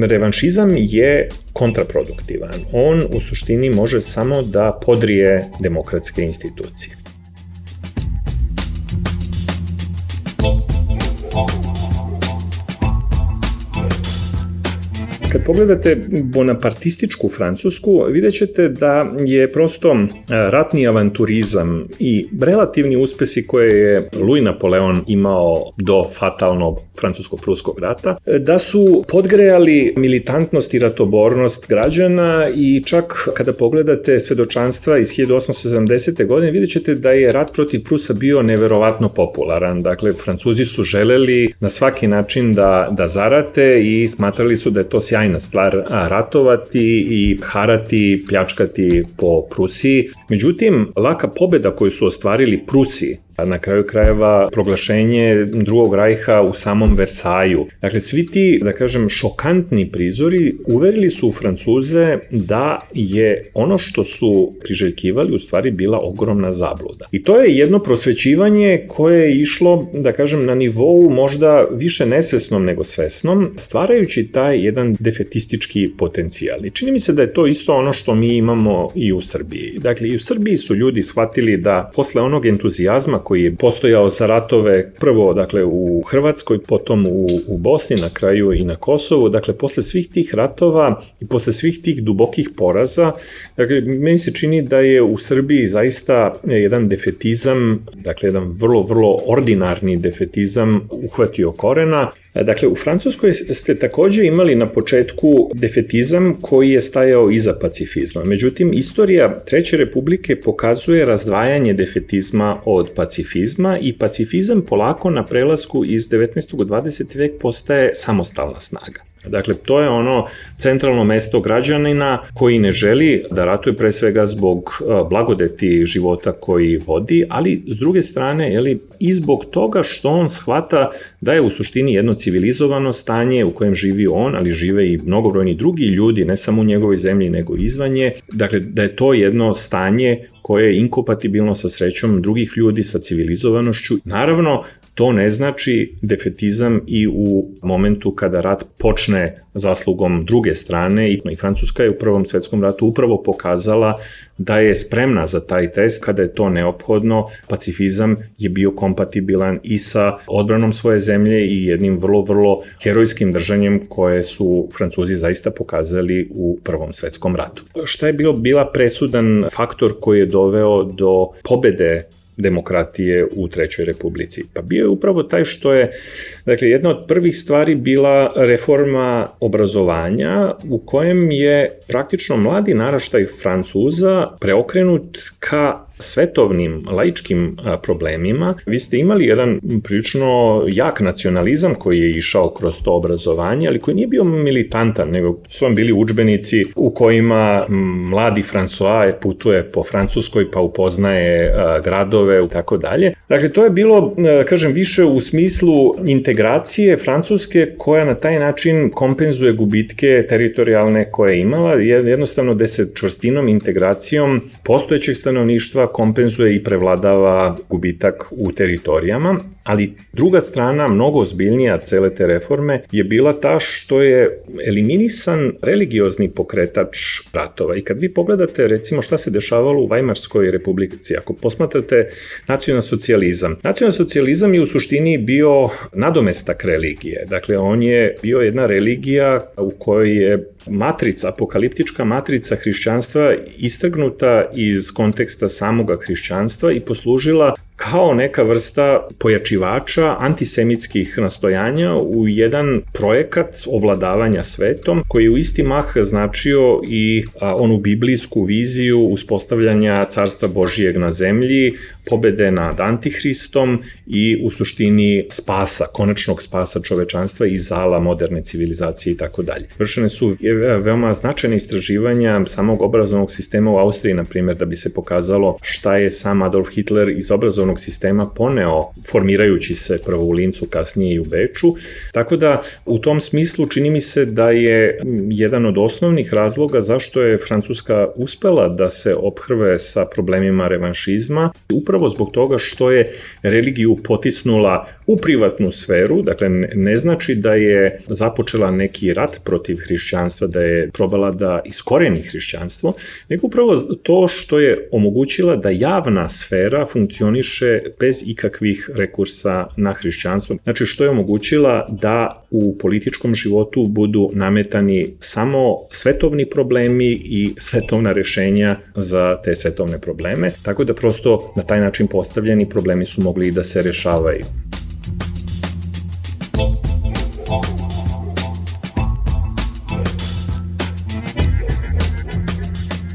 revanšizam je kontraproduktivan. On u suštini može samo da podrije demokratske institucije. Kad pogledate bonapartističku Francusku, vidjet ćete da je prosto ratni avanturizam i relativni uspesi koje je Louis Napoleon imao do fatalnog francusko-pruskog rata, da su podgrejali militantnost i ratobornost građana i čak kada pogledate svedočanstva iz hiljadu osamsto sedamdesete. godine, vidjet ćete da je rat protiv Prusa bio neverovatno popularan. Dakle, Francuzi su želeli na svaki način da, da zarate i smatrali su da je to sjajno stvar ratovati i harati, pljačkati po Prusiji. Međutim, laka pobeda koju su ostvarili Prusi, a na kraju krajeva proglašenje drugog rajha u samom Versaju. Dakle, svi ti, da kažem, šokantni prizori uverili su Francuze da je ono što su priželjkivali u stvari bila ogromna zabluda. I to je jedno prosvećivanje koje je išlo, da kažem, na nivou možda više nesvesnom nego svesnom, stvarajući taj jedan defetistički potencijal. I čini mi se da je to isto ono što mi imamo i u Srbiji. Dakle, i u Srbiji su ljudi shvatili da posle onog entuzijazma koji je postojao za ratove prvo, dakle, u Hrvatskoj, potom u, u Bosni, na kraju i na Kosovu, dakle, posle svih tih ratova i posle svih tih dubokih poraza, dakle, meni se čini da je u Srbiji zaista jedan defetizam, dakle, jedan vrlo, vrlo ordinarni defetizam uhvatio korena. Dakle, u Francuskoj ste takođe imali na početku defetizam koji je stajao iza pacifizma. Međutim, istorija Treće republike pokazuje razdvajanje defetizma od pacifizma i pacifizam polako na prelasku iz devetnaestog u dvadeseti vek postaje samostalna snaga. Dakle, to je ono centralno mesto građanina koji ne želi da ratuje pre svega zbog blagodeti života koji vodi, ali s druge strane, jeli, i zbog toga što on shvata da je u suštini jedno civilizovano stanje u kojem živi on, ali žive i mnogobrojni drugi ljudi, ne samo u njegovoj zemlji, nego izvan nje. Dakle, da je to jedno stanje koje je inkompatibilno sa srećom drugih ljudi, sa civilizovanošću. Naravno, to ne znači defetizam i u momentu kada rat počne zaslugom druge strane i Francuska je u Prvom svetskom ratu upravo pokazala da je spremna za taj test kada je to neophodno. Pacifizam je bio kompatibilan i sa odbranom svoje zemlje i jednim vrlo, vrlo herojskim držanjem koje su Francuzi zaista pokazali u Prvom svetskom ratu. Šta je bilo bila presudan faktor koji je doveo do pobede demokratije u Trećoj republici? Pa bio je upravo taj što je, dakle, jedna od prvih stvari bila reforma obrazovanja u kojem je praktično mladi naraštaj Francuza preokrenut ka svetovnim, laičkim problemima. Vi ste imali jedan prilično jak nacionalizam koji je išao kroz to obrazovanje, ali koji nije bio militantan, nego su vam bili udžbenici u kojima mladi François putuje po Francuskoj pa upoznaje gradove i tako dalje. Dakle, to je bilo, kažem, više u smislu integracije Francuske koja na taj način kompenzuje gubitke teritorijalne koje je imala, jednostavno da se čvrstinom integracijom postojećeg stanovništva kompenzuje i prevladava gubitak u teritorijama, ali druga strana, mnogo ozbiljnija cele te reforme, je bila ta što je eliminisan religiozni pokretač ratova. I kad vi pogledate, recimo, šta se dešavalo u Vajmarskoj republici, ako posmatrate nacionalsocijalizam, nacionalsocijalizam je u suštini bio nadomestak religije. Dakle, on je bio jedna religija u kojoj je matrica, apokaliptička matrica hrišćanstva istrgnuta iz konteksta samoga hrišćanstva i poslužila kao neka vrsta pojačivača antisemitskih nastojanja u jedan projekat ovladavanja svetom koji je u isti mah značio i a, onu biblijsku viziju uspostavljanja carstva Božijeg na zemlji, pobede nad Antihristom i u suštini spasa, konačnog spasa čovečanstva i zala moderne civilizacije i tako dalje. Vršene su veoma značajne istraživanja samog obrazovnog sistema u Austriji, na primjer, da bi se pokazalo šta je sam Adolf Hitler iz obrazovnog sistema poneo, formirajući se prvo u Lincu, kasnije i u Beču. Tako da, u tom smislu čini mi se da je jedan od osnovnih razloga zašto je Francuska uspela da se ophrve sa problemima revanšizma, upravo zbog toga što je religiju potisnula u privatnu sferu, dakle ne znači da je započela neki rat protiv hrišćanstva, da je probala da iskoreni hrišćanstvo, nego upravo to što je omogućila da javna sfera funkcioniše bez ikakvih rekursa na hrišćanstvo. Znači što je omogućila da u političkom životu budu nametani samo svetovni problemi i svetovna rešenja za te svetovne probleme, tako da prosto na taj način postavljeni problemi su mogli da se rešavaju.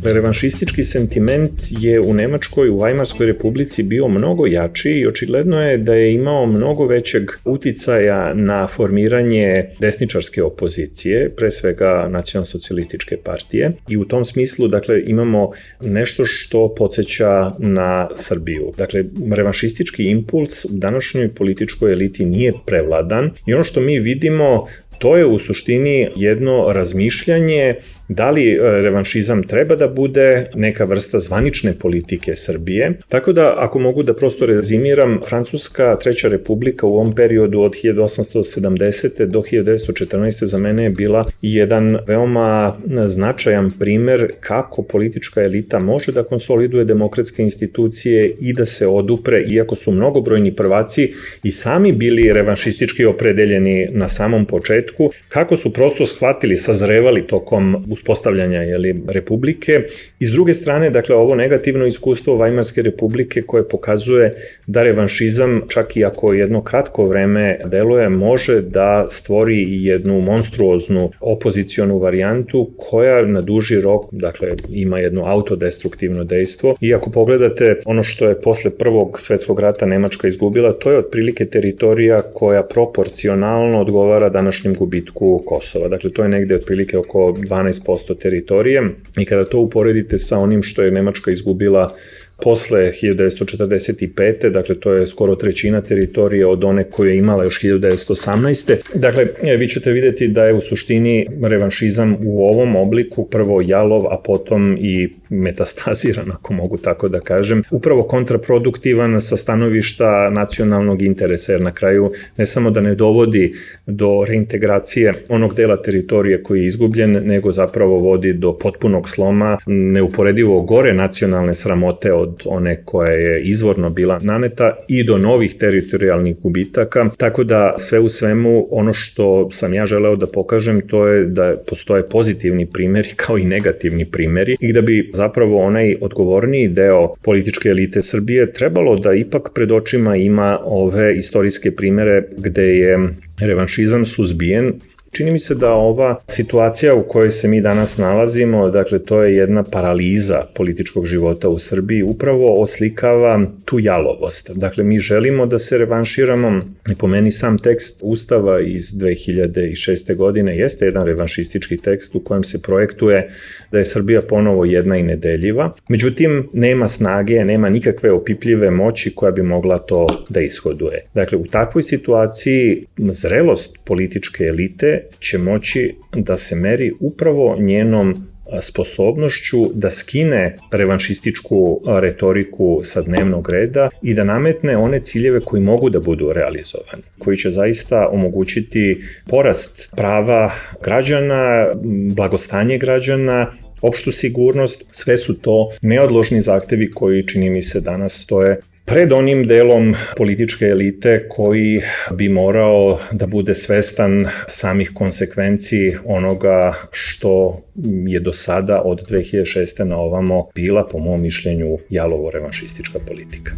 Revanšistički sentiment je u Nemačkoj, u Vajmarskoj republici bio mnogo jači i očigledno je da je imao mnogo većeg uticaja na formiranje desničarske opozicije, pre svega nacionalsocijalističke partije. I u tom smislu, dakle, imamo nešto što podsjeća na Srbiju. Dakle, revanšistički impuls u današnjoj političkoj eliti nije prevladan i ono što mi vidimo, to je u suštini jedno razmišljanje da li revanšizam treba da bude neka vrsta zvanične politike Srbije. Tako da, ako mogu da prosto rezimiram, Francuska Treća republika u ovom periodu od hiljadu osamsto sedamdesete do hiljadu devetsto četrnaeste za mene je bila jedan veoma značajan primer kako politička elita može da konsoliduje demokratske institucije i da se odupre, iako su mnogobrojni prvaci i sami bili revanšistički opredeljeni na samom početku, kako su prosto shvatili, sazrevali tokom uspostavljanja jeli, republike. I s druge strane, dakle, ovo negativno iskustvo Vajmarske republike koje pokazuje da revanšizam, čak i ako jedno kratko vreme deluje, može da stvori jednu monstruoznu opozicionu varijantu koja na duži rok, dakle, ima jedno autodestruktivno dejstvo. I ako pogledate ono što je posle Prvog svetskog rata Nemačka izgubila, to je otprilike teritorija koja proporcionalno odgovara današnjem gubitku Kosova. Dakle, to je negde otprilike oko dvanaest posto teritorije i kada to uporedite sa onim što je Nemačka izgubila posle hiljadu devetsto četrdeset pete. Dakle, to je skoro trećina teritorije od one koje je imala još hiljadu devetsto osamnaeste. Dakle, vi ćete vidjeti da je u suštini revanšizam u ovom obliku prvo jalov, a potom i metastaziran, ako mogu tako da kažem, upravo kontraproduktivan sa stanovišta nacionalnog interesa, jer na kraju ne samo da ne dovodi do reintegracije onog dela teritorije koji je izgubljen, nego zapravo vodi do potpunog sloma, neuporedivo gore nacionalne sramote od one koja je izvorno bila naneta i do novih teritorijalnih gubitaka, tako da sve u svemu ono što sam ja želeo da pokažem to je da postoje pozitivni primjeri kao i negativni primjeri i da bi zapravo onaj odgovorniji deo političke elite Srbije trebalo da ipak pred očima ima ove istorijske primjere gde je revanšizam suzbijen. Čini mi se da ova situacija u kojoj se mi danas nalazimo, dakle to je jedna paraliza političkog života u Srbiji, upravo oslikava tu jalovost. Dakle, mi želimo da se revanširamo i po meni sam tekst Ustava iz dve hiljade šeste. godine jeste jedan revanšistički tekst u kojem se projektuje da je Srbija ponovo jedna i nedeljiva. Međutim, nema snage, nema nikakve opipljive moći koja bi mogla to da ishoduje. Dakle, u takvoj situaciji zrelost političke elite će moći da se meri upravo njenom sposobnošću da skine revanšističku retoriku sa dnevnog reda i da nametne one ciljeve koji mogu da budu realizovani, koji će zaista omogućiti porast prava građana, blagostanje građana, opštu sigurnost. Sve su to neodložni zahtevi koji, čini mi se, danas stoje pred onim delom političke elite koji bi morao da bude svestan samih konsekvenciji onoga što je do sada od dve hiljade šeste. na ovamo bila, po mom mišljenju, jalovo revanšistička politika.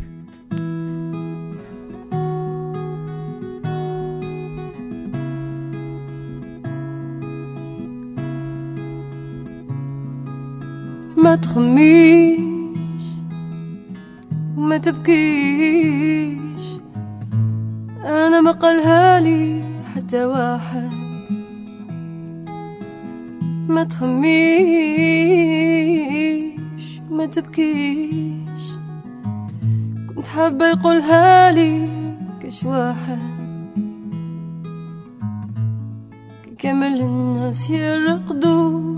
ما تخميش وما تبكيش، أنا ما قالها لي حتى واحد. ما تخميش وما تبكيش، كنت حابة يقولها لي كش واحد. كامل الناس يرقدوا،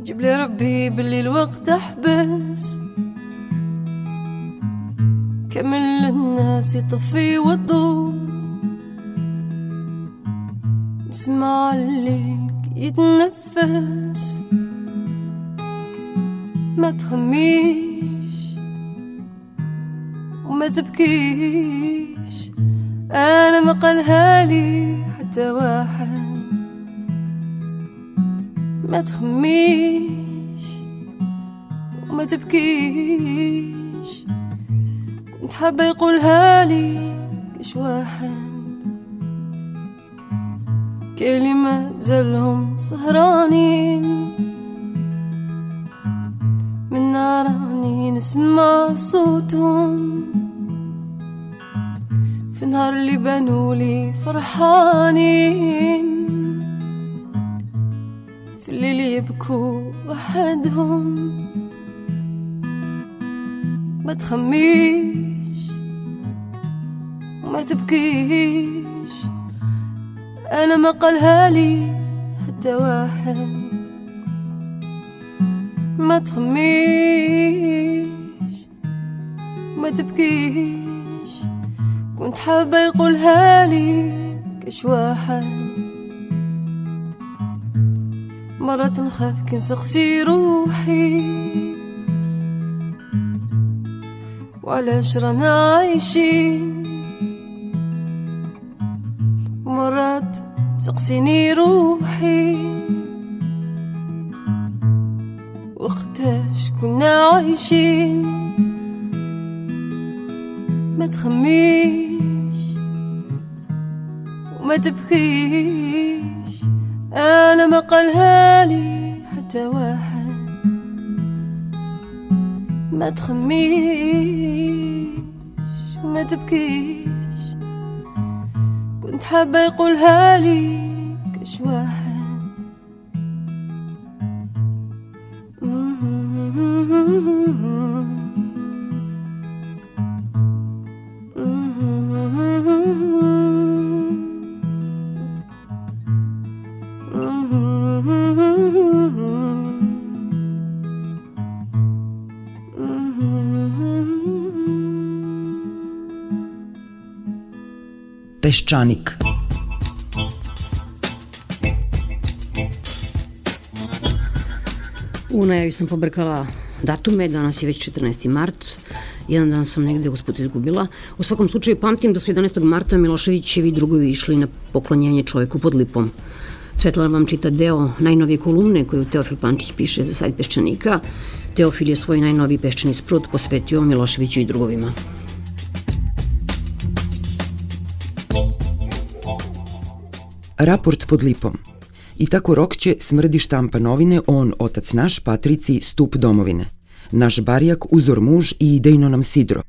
جيب لي ربي باللي الوقت احبس. كامل الناس يطفي وضو، نسمع الليل يتنفس. ما تخميش وما تبكيش، انا ما قالها لي حتى واحد. ما تخميش وما تبكيش، كنت حابة يقولها لي كش واحد. كلمة زلهم سهرانين، من ناراني نسمع صوتهم. في نهار اللي بنولي فرحانين، في الليل يبكوا وحدهم. ما تخميش وما تبكيش، أنا ما قالها لي حتى واحد. ما تخميش وما تبكيش، كنت حابة يقولها لي كش واحد. مرات نخاف كي نسقسي روحي، وعلاش رانا عايشين. مرات تسقسيني روحي، وقتاش كنا عايشين. ما تخميش وما تبكيش، أنا ما قالها لي حتى واحد. ما تخميش وما تبكيش، كنت حابة يقولها لي كش واحد. Peščanik. U najavi sam pobrkala datume, danas je već četrnaesti mart, jedan dan sam negde usput izgubila. U svakom slučaju pamtim da su jedanaestog marta Miloševićevi drugovi išli na poklonjenje čoveku pod lipom. Svetlana vam čita deo najnovije kolumne koju Teofil Pančić piše za sajt Peščanika. Teofil je svoj najnoviji peščani sprut posvetio Miloševiću i drugovima. Raport pod lipom. I tako Rokće smrdi štampa novine, on, otac naš, Patrici, stup domovine. Naš barjak, uzor muž i idejno nam sidro.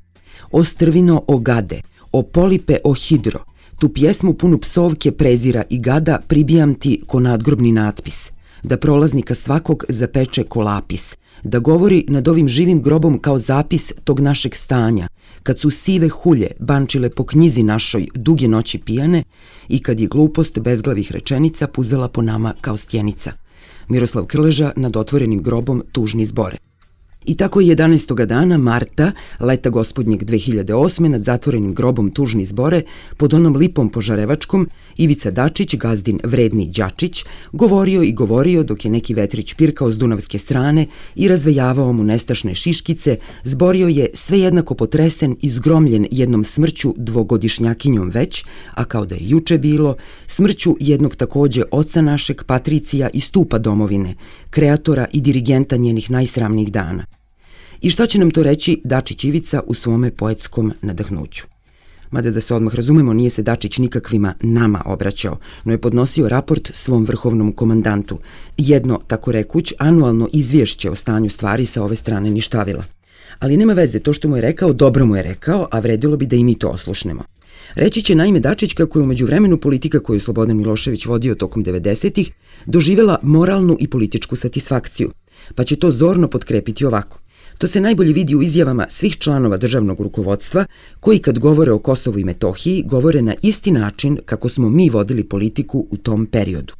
O strvino, o gade, o polipe, o hidro. Tu pjesmu punu psovke, prezira i gada pribijam ti ko nadgrobni natpis. Da prolaznika svakog zapeče ko lapis. Da govori nad ovim živim grobom kao zapis tog našeg stanja. Kad su sive hulje bančile po knjizi našoj duge noći pijane i kad je glupost bezglavih rečenica puzela po nama kao stjenica. Miroslav Krleža nad otvorenim grobom tužni zbore. I tako je jedanaestog dana marta, leta gospodnjeg dve hiljade osme, nad zatvorenim grobom tužni zbore, pod onom lipom požarevačkom, Ivica Dačić, gazdin vredni Đačić, govorio i govorio dok je neki vetrić pirkao s dunavske strane i razvejavao mu nestašne šiškice, zborio je sve jednako potresen i zgromljen jednom smrću dvogodišnjakinjom već, a kao da je juče bilo, smrću jednog takođe oca našeg, Patricija i stupa domovine, kreatora i dirigenta njenih najsramnijih dana. I šta će nam to reći Dačić Ivica u svome poetskom nadahnuću? Mada da se odmah razumemo, nije se Dačić nikakvima nama obraćao, no je podnosio raport svom vrhovnom komandantu. Jedno, tako rekuć, anualno izvješće o stanju stvari sa ove strane ništavila. Ali nema veze, to što mu je rekao, dobro mu je rekao, a vredilo bi da i mi to oslušnemo. Reći će naime Dačić kako je umeđu vremenu politika koju je Slobodan Milošević vodio tokom devedesetih doživjela moralnu i političku satisfakciju, pa će to zorno potkrepiti ovako. To se najbolje vidi u izjavama svih članova državnog rukovodstva koji kad govore o Kosovu i Metohiji govore na isti način kako smo mi vodili politiku u tom periodu.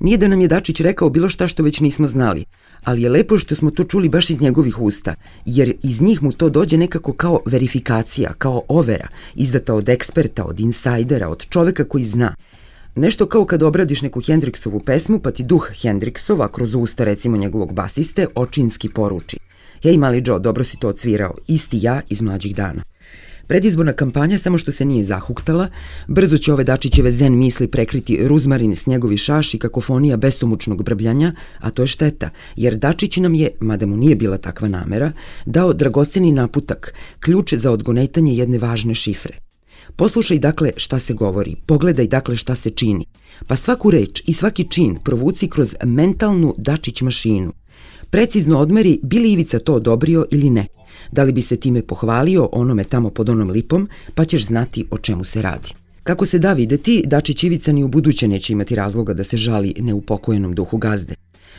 Nije da nam je Dačić rekao bilo šta što već nismo znali, ali je lepo što smo to čuli baš iz njegovih usta, jer iz njih mu to dođe nekako kao verifikacija, kao overa, izdata od eksperta, od insajdera, od čoveka koji zna. Nešto kao kad obradiš neku Hendriksovu pesmu, pa ti duh Hendriksova, kroz usta recimo njegovog basiste, očinski poruči. Hej, mali Joe, dobro si to odsvirao, isti ja iz mlađih dana. Predizborna kampanja samo što se nije zahuktala, brzo će ove Dačićeve zen misli prekriti ruzmarin, snjegovi šaš i kakofonija besomučnog brbljanja, a to je šteta, jer Dačić nam je, mada mu nije bila takva namera, dao dragoceni naputak, ključ za odgonetanje jedne važne šifre. Poslušaj dakle šta se govori, pogledaj dakle šta se čini, pa svaku reč i svaki čin provuci kroz mentalnu Dačić mašinu. Precizno odmeri bi li Ivica to odobrio ili ne, da li bi se time pohvalio onome tamo pod onom lipom, pa ćeš znati o čemu se radi. Kako se da videti, Dačić Ivica ni u buduće neće imati razloga da se žali neupokojenom duhu gazde.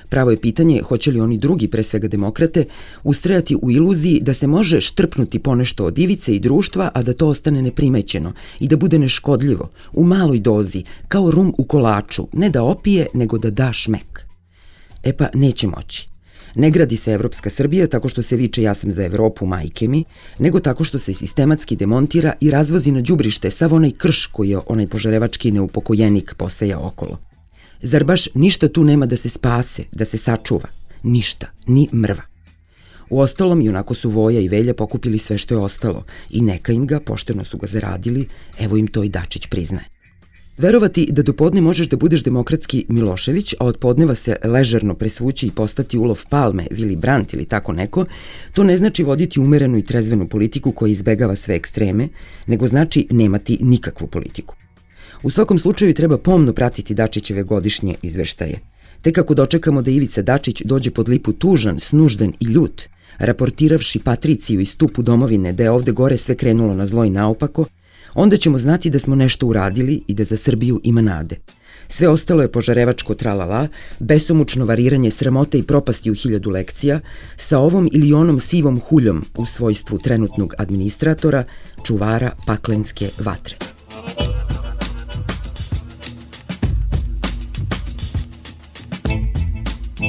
Pravo je pitanje hoće li oni drugi, pre svega demokrate, ustrajati u iluziji da se može štrpnuti ponešto od Ivice i društva, a da to ostane neprimećeno i da bude neškodljivo, u maloj dozi, kao rum u kolaču, ne da opije, nego da da šmek. E pa neće moći. Ne gradi se Evropska Srbija tako što se viče ja sam za Evropu, majke mi, nego tako što se sistematski demontira i razvozi na đubrište sav onaj krš koji je onaj požarevački neupokojenik poseja okolo. Zar baš ništa tu nema da se spase, da se sačuva? Ništa, ni mrva. Uostalom, i onako su Voja i Velja pokupili sve što je ostalo i neka im ga, pošteno su ga zaradili, evo im to i Dačić priznaje. Verovati da do podne možeš da budeš demokratski Milošević, a od podneva se ležerno presvući i postati ulov Palme, Willy Brandt ili tako neko, to ne znači voditi umerenu i trezvenu politiku koja izbegava sve ekstreme, nego znači nemati nikakvu politiku. U svakom slučaju treba pomno pratiti Dačićeve godišnje izveštaje. Tek ako dočekamo da Ivica Dačić dođe pod lipu tužan, snužden i ljut, raportiravši Patriciju i stupu domovine da je ovde gore sve krenulo na zlo i naopako, onda ćemo znati da smo nešto uradili i da za Srbiju ima nade. Sve ostalo je požarevačko tralala, besomučno variranje sramote i propasti u hiljadu lekcija, sa ovom ili onom sivom huljom u svojstvu trenutnog administratora, čuvara paklenske vatre.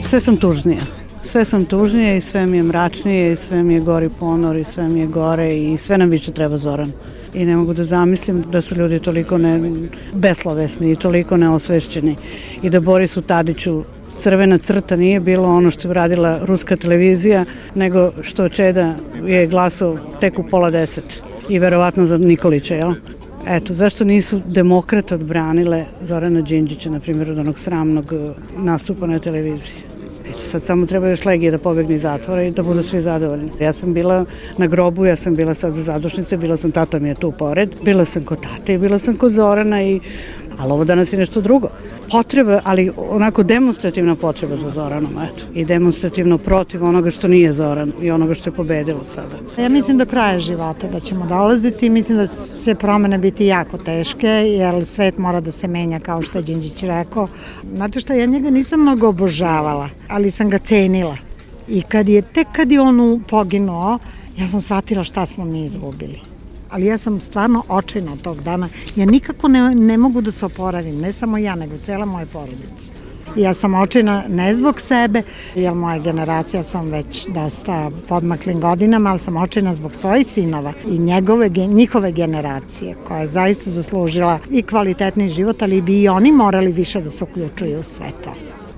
Sve sam tužnija. Sve sam tužnije i sve mi je mračnije i sve mi je gori ponor i sve mi je gore i sve nam više treba Zoran. I ne mogu da zamislim da su ljudi toliko ne, beslovesni i toliko neosvešćeni i da Borisu Tadiću crvena crta nije bilo ono što je radila ruska televizija, nego što Čeda je glasao tek u pola deset i verovatno za Nikolića, jel? Eto, zašto nisu demokrate odbranile Zorana Đinđića, na primjer, od onog sramnog nastupa na televiziji? Eto, sad samo treba još Legije da pobegne iz zatvora i da budu svi zadovoljni. Ja sam bila na grobu, ja sam bila sad za zadušnice, bila sam, tata mi je tu pored, bila sam kod tate i bila sam kod Zorana i... Ali ovo danas je nešto drugo. Potreba, ali onako demonstrativna potreba za Zoranom, eto. I demonstrativno protiv onoga što nije Zoran i onoga što je pobedilo sada. Ja mislim do kraja života da ćemo dolaziti i mislim da će promene biti jako teške, jer svet mora da se menja, kao što je Đinđić rekao. Znate što, ja njega nisam mnogo obožavala, ali sam ga cenila. I kad je, tek kad je on poginuo, ja sam shvatila šta smo mi izgubili. Ali ja sam stvarno očajna od tog dana. Ja nikako ne, ne mogu da se oporavim, ne samo ja, nego cela moja porodica. Ja sam očajna ne zbog sebe, jer moja generacija sam već dosta podmaklim godinama, ali sam očajna zbog svojih sinova i njegove, njihove generacije, koja je zaista zaslužila i kvalitetni život, ali bi i oni morali više da se uključuju u sve to.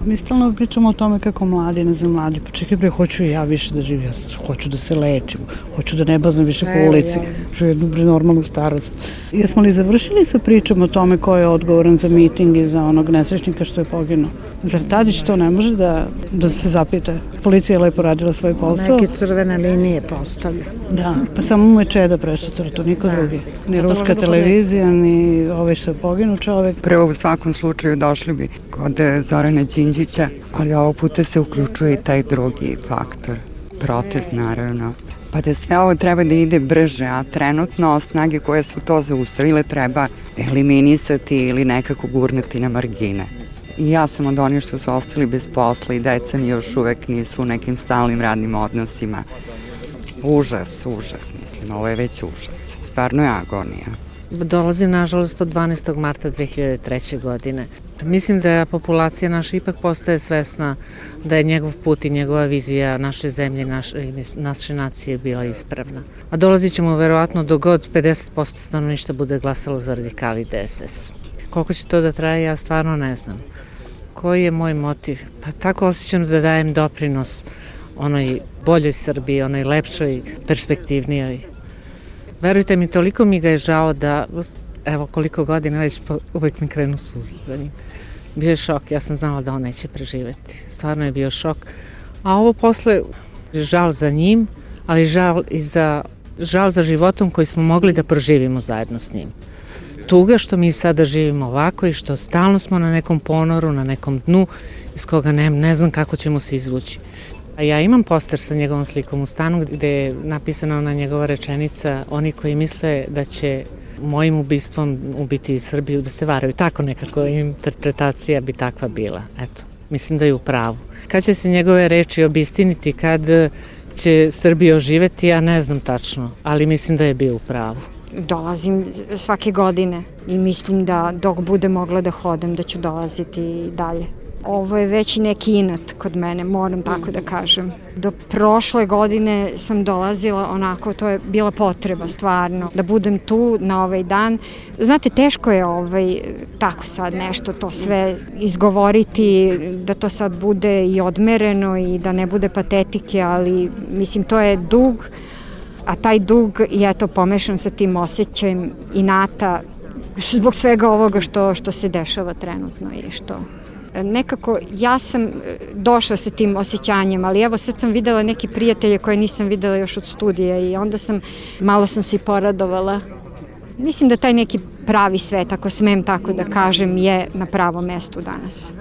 Mi stalno pričamo o tome kako mladi, ne znam, mladi, pa čekaj bre, hoću i ja više da živim, ja hoću da se lečim, hoću da ne bazam više po ulici, hoću jednu bre normalnu starost. Jesmo li završili sa pričom o tome ko je odgovoran za miting i za onog nesrećnika što je poginuo? Zar Tadić to ne može da, da se zapita? Policija je lepo radila svoj posao. Neke crvene linije postavlja. Da, pa samo mu je Čeda prešao crtu, niko da. drugi. Ni ruska televizija, ni ovaj što je poginuo čovek. Prvo u svakom slučaju došli bi kod Zorana Đinđića, ali ovog puta se uključuje i taj drugi faktor, protest naravno. Pa da sve ovo treba da ide brže, a trenutno snage koje su to zaustavile treba eliminisati ili nekako gurnati na margine. I ja sam od onih što su ostali bez posla i deca mi još uvek nisu u nekim stalnim radnim odnosima. Užas, užas, mislim, ovo je već užas. Stvarno je agonija. Dolazim, nažalost, od dvanaestog marta dve hiljade treće. godine. Mislim da populacija naša ipak postaje svesna da je njegov put i njegova vizija naše zemlje, naše, naše nacije bila ispravna. A dolazit ćemo verovatno do god pedeset posto stanovništva bude glasalo za radikali D S S. Koliko će to da traje, ja stvarno ne znam. Koji je moj motiv? Pa tako osjećam da dajem doprinos onoj boljoj Srbiji, onoj lepšoj, perspektivnijoj. Verujte mi, toliko mi ga je žao da, evo koliko godina već uvek mi krenu suze za njim. Bio je šok, ja sam znala da on neće preživeti. Stvarno je bio šok. A ovo posle, žal za njim, ali žal i za, žal za životom koji smo mogli da proživimo zajedno s njim. Tuga što mi sada živimo ovako i što stalno smo na nekom ponoru, na nekom dnu iz koga ne, ne znam kako ćemo se izvući. A ja imam poster sa njegovom slikom u stanu gde je napisana ona njegova rečenica: oni koji misle da će mojim ubistvom ubiti Srbiju da se varaju. Tako nekako interpretacija bi takva bila. Eto, mislim da je u pravu. Kad će se njegove reči obistiniti, kad će Srbija oživeti, ja ne znam tačno, ali mislim da je bio u pravu. Dolazim svake godine i mislim da dok bude mogla da hodam da ću dolaziti i dalje. Ovo je već neki inat kod mene, moram tako da kažem. Do prošle godine sam dolazila onako, to je bila potreba stvarno, da budem tu na ovaj dan. Znate, teško je ovaj, tako sad nešto to sve izgovoriti, da to sad bude i odmereno i da ne bude patetike, ali mislim to je dug, a taj dug je to pomešan sa tim osjećajem inata zbog svega ovoga što, što se dešava trenutno i što... Nekako ja sam došla sa tim osjećanjem, ali evo sad sam videla neki prijatelje koje nisam videla još od studija i onda sam, malo sam se i poradovala. Mislim da taj neki pravi svet, ako smem tako da kažem, je na pravom mestu danas.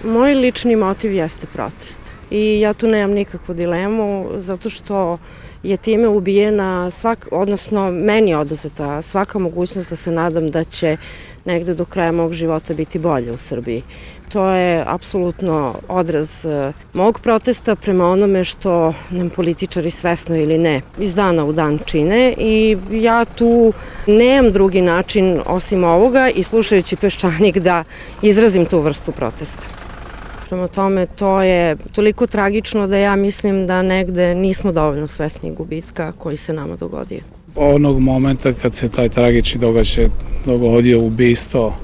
Moj lični motiv jeste protest i ja tu nemam nikakvu dilemu zato što je time ubijena, svak, odnosno meni je oduzeta svaka mogućnost da se nadam da će negde do kraja mog života biti bolje u Srbiji. To je apsolutno odraz mog protesta prema onome što nam političari svesno ili ne iz dana u dan čine i ja tu nemam drugi način osim ovoga i slušajući Peščanik da izrazim tu vrstu protesta. Prema tome, to je toliko tragično da ja mislim da negde nismo dovoljno svesni gubitka koji se nama dogodio. onog momenta kad se taj tragični događaj dogodio, ubistvo,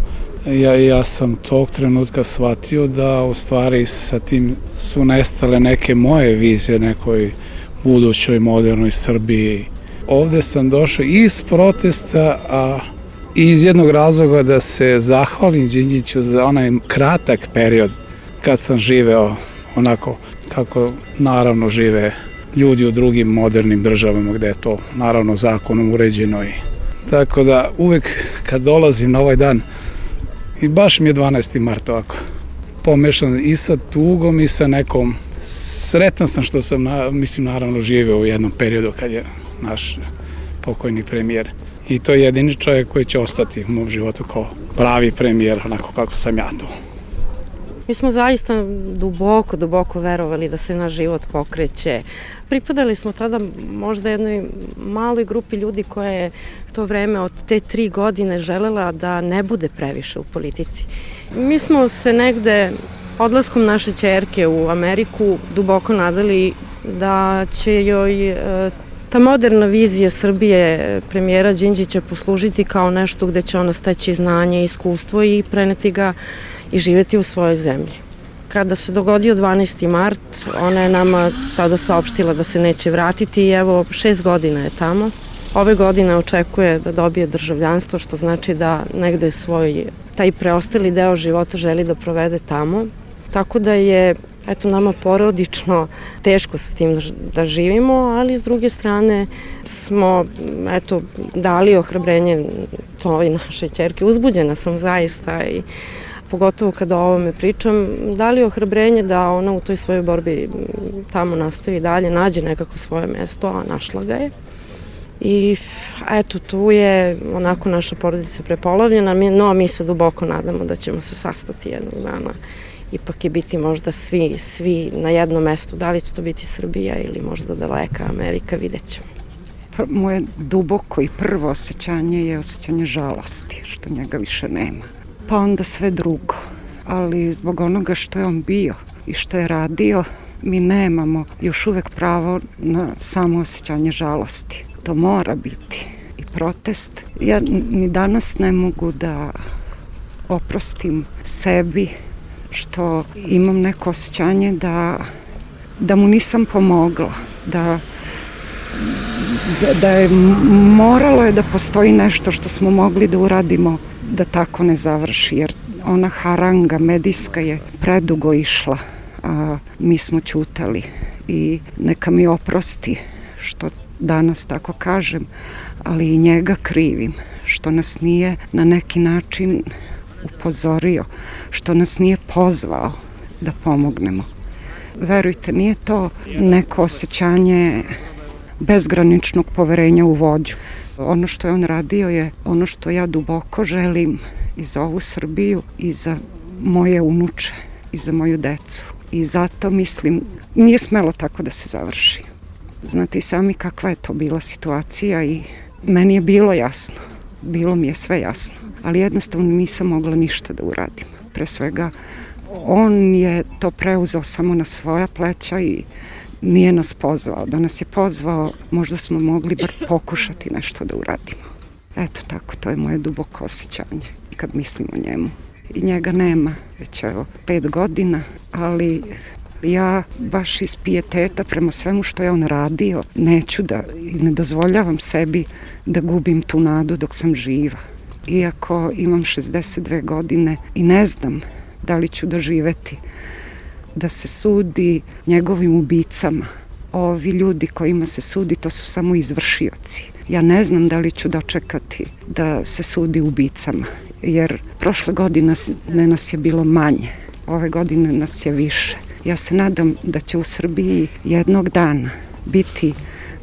ja, ja sam tog trenutka shvatio da u stvari sa tim su nestale neke moje vizije nekoj budućoj modernoj Srbiji. Ovde sam došao iz protesta, a iz jednog razloga da se zahvalim Đinđiću za onaj kratak period kad sam živeo onako kako naravno žive ljudi u drugim modernim državama gde je to naravno zakonom uređeno. I tako da uvek kad dolazim na ovaj dan, i baš mi je dvanaesti mart ovako, pomešan i sa tugom i sa nekom, sretan sam što sam, na, mislim, naravno živeo u jednom periodu kad je naš pokojni premijer. I to je jedini čovjek koji će ostati u mom životu kao pravi premijer, onako kako sam ja to. Mi smo zaista duboko, duboko verovali da se naš život pokreće. Pripadali smo tada možda jednoj maloj grupi ljudi koja je to vreme od te tri godine želela da ne bude previše u politici. Mi smo se negde odlaskom naše ćerke u Ameriku duboko nadali da će joj ta moderna vizija Srbije premijera Đinđića poslužiti kao nešto gde će ona steći znanje i iskustvo i preneti ga i živeti u svojoj zemlji. Kada se dogodio dvanaesti mart, ona je nama tada saopštila da se neće vratiti i evo šest godina je tamo. Ove godine očekuje da dobije državljanstvo, što znači da negde svoj taj preostali deo života želi da provede tamo. Tako da je eto nama porodično teško sa tim da živimo, ali s druge strane smo eto dali ohrabrenje toj našoj ćerki. Uzbuđena sam zaista i pogotovo kada o ovome pričam, dali ohrabrenje da ona u toj svojoj borbi tamo nastavi dalje, nađe nekako svoje mesto, a našla ga je. I eto, tu je onako naša porodica prepolovljena, no mi se duboko nadamo da ćemo se sastati jednog dana. Ipak je biti možda svi, svi na jednom mestu. Da li će to biti Srbija ili možda daleka Amerika, vidjet ćemo. Pa, moje duboko i prvo osjećanje je osjećanje žalosti, što njega više nema. Pa onda sve drugo. Ali zbog onoga što je on bio i što je radio, mi nemamo još uvek pravo na samo osjećanje žalosti. To mora biti i protest. Ja ni danas ne mogu da oprostim sebi što imam neko osjećanje da, da mu nisam pomogla, da, da, da je moralo je da postoji nešto što smo mogli da uradimo da tako ne završi, jer ona haranga medijska je predugo išla, a mi smo ćutali i neka mi oprosti što danas tako kažem, ali i njega krivim, što nas nije na neki način upozorio, što nas nije pozvao da pomognemo. Verujte, nije to neko osjećanje bezgraničnog poverenja u vođu. Ono što je on radio je ono što ja duboko želim i za ovu Srbiju i za moje unuče i za moju decu. I zato mislim, nije smelo tako da se završi. Znate i sami kakva je to bila situacija i meni je bilo jasno, bilo mi je sve jasno, ali jednostavno nisam mogla ništa da uradim. Pre svega, on je to preuzeo samo na svoja pleća i nije nas pozvao. Da nas je pozvao, možda smo mogli bar pokušati nešto da uradimo. Eto tako, to je moje duboko osjećanje kad mislim o njemu. I njega nema već evo pet godina, ali ja baš iz pijeteta prema svemu što je on radio neću da i ne dozvoljavam sebi da gubim tu nadu dok sam živa. Iako imam šezdeset dve godine i ne znam da li ću doživeti da se sudi njegovim ubicama. Ovi ljudi kojima se sudi, to su samo izvršioci. Ja ne znam da li ću dočekati da se sudi ubicama, jer prošle godine ne nas je bilo manje, ove godine nas je više. Ja se nadam da će u Srbiji jednog dana biti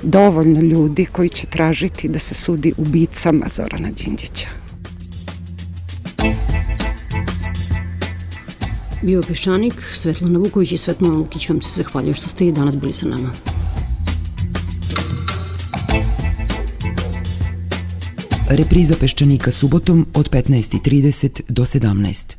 dovoljno ljudi koji će tražiti da se sudi ubicama Zorana Đinđića. Bio Peščanik, Svetlana Vuković i Svetlana Lukić vam se zahvaljuju što ste i danas bili sa nama. Repriza Peščanika subotom od petnaest i trideset do sedamnaest.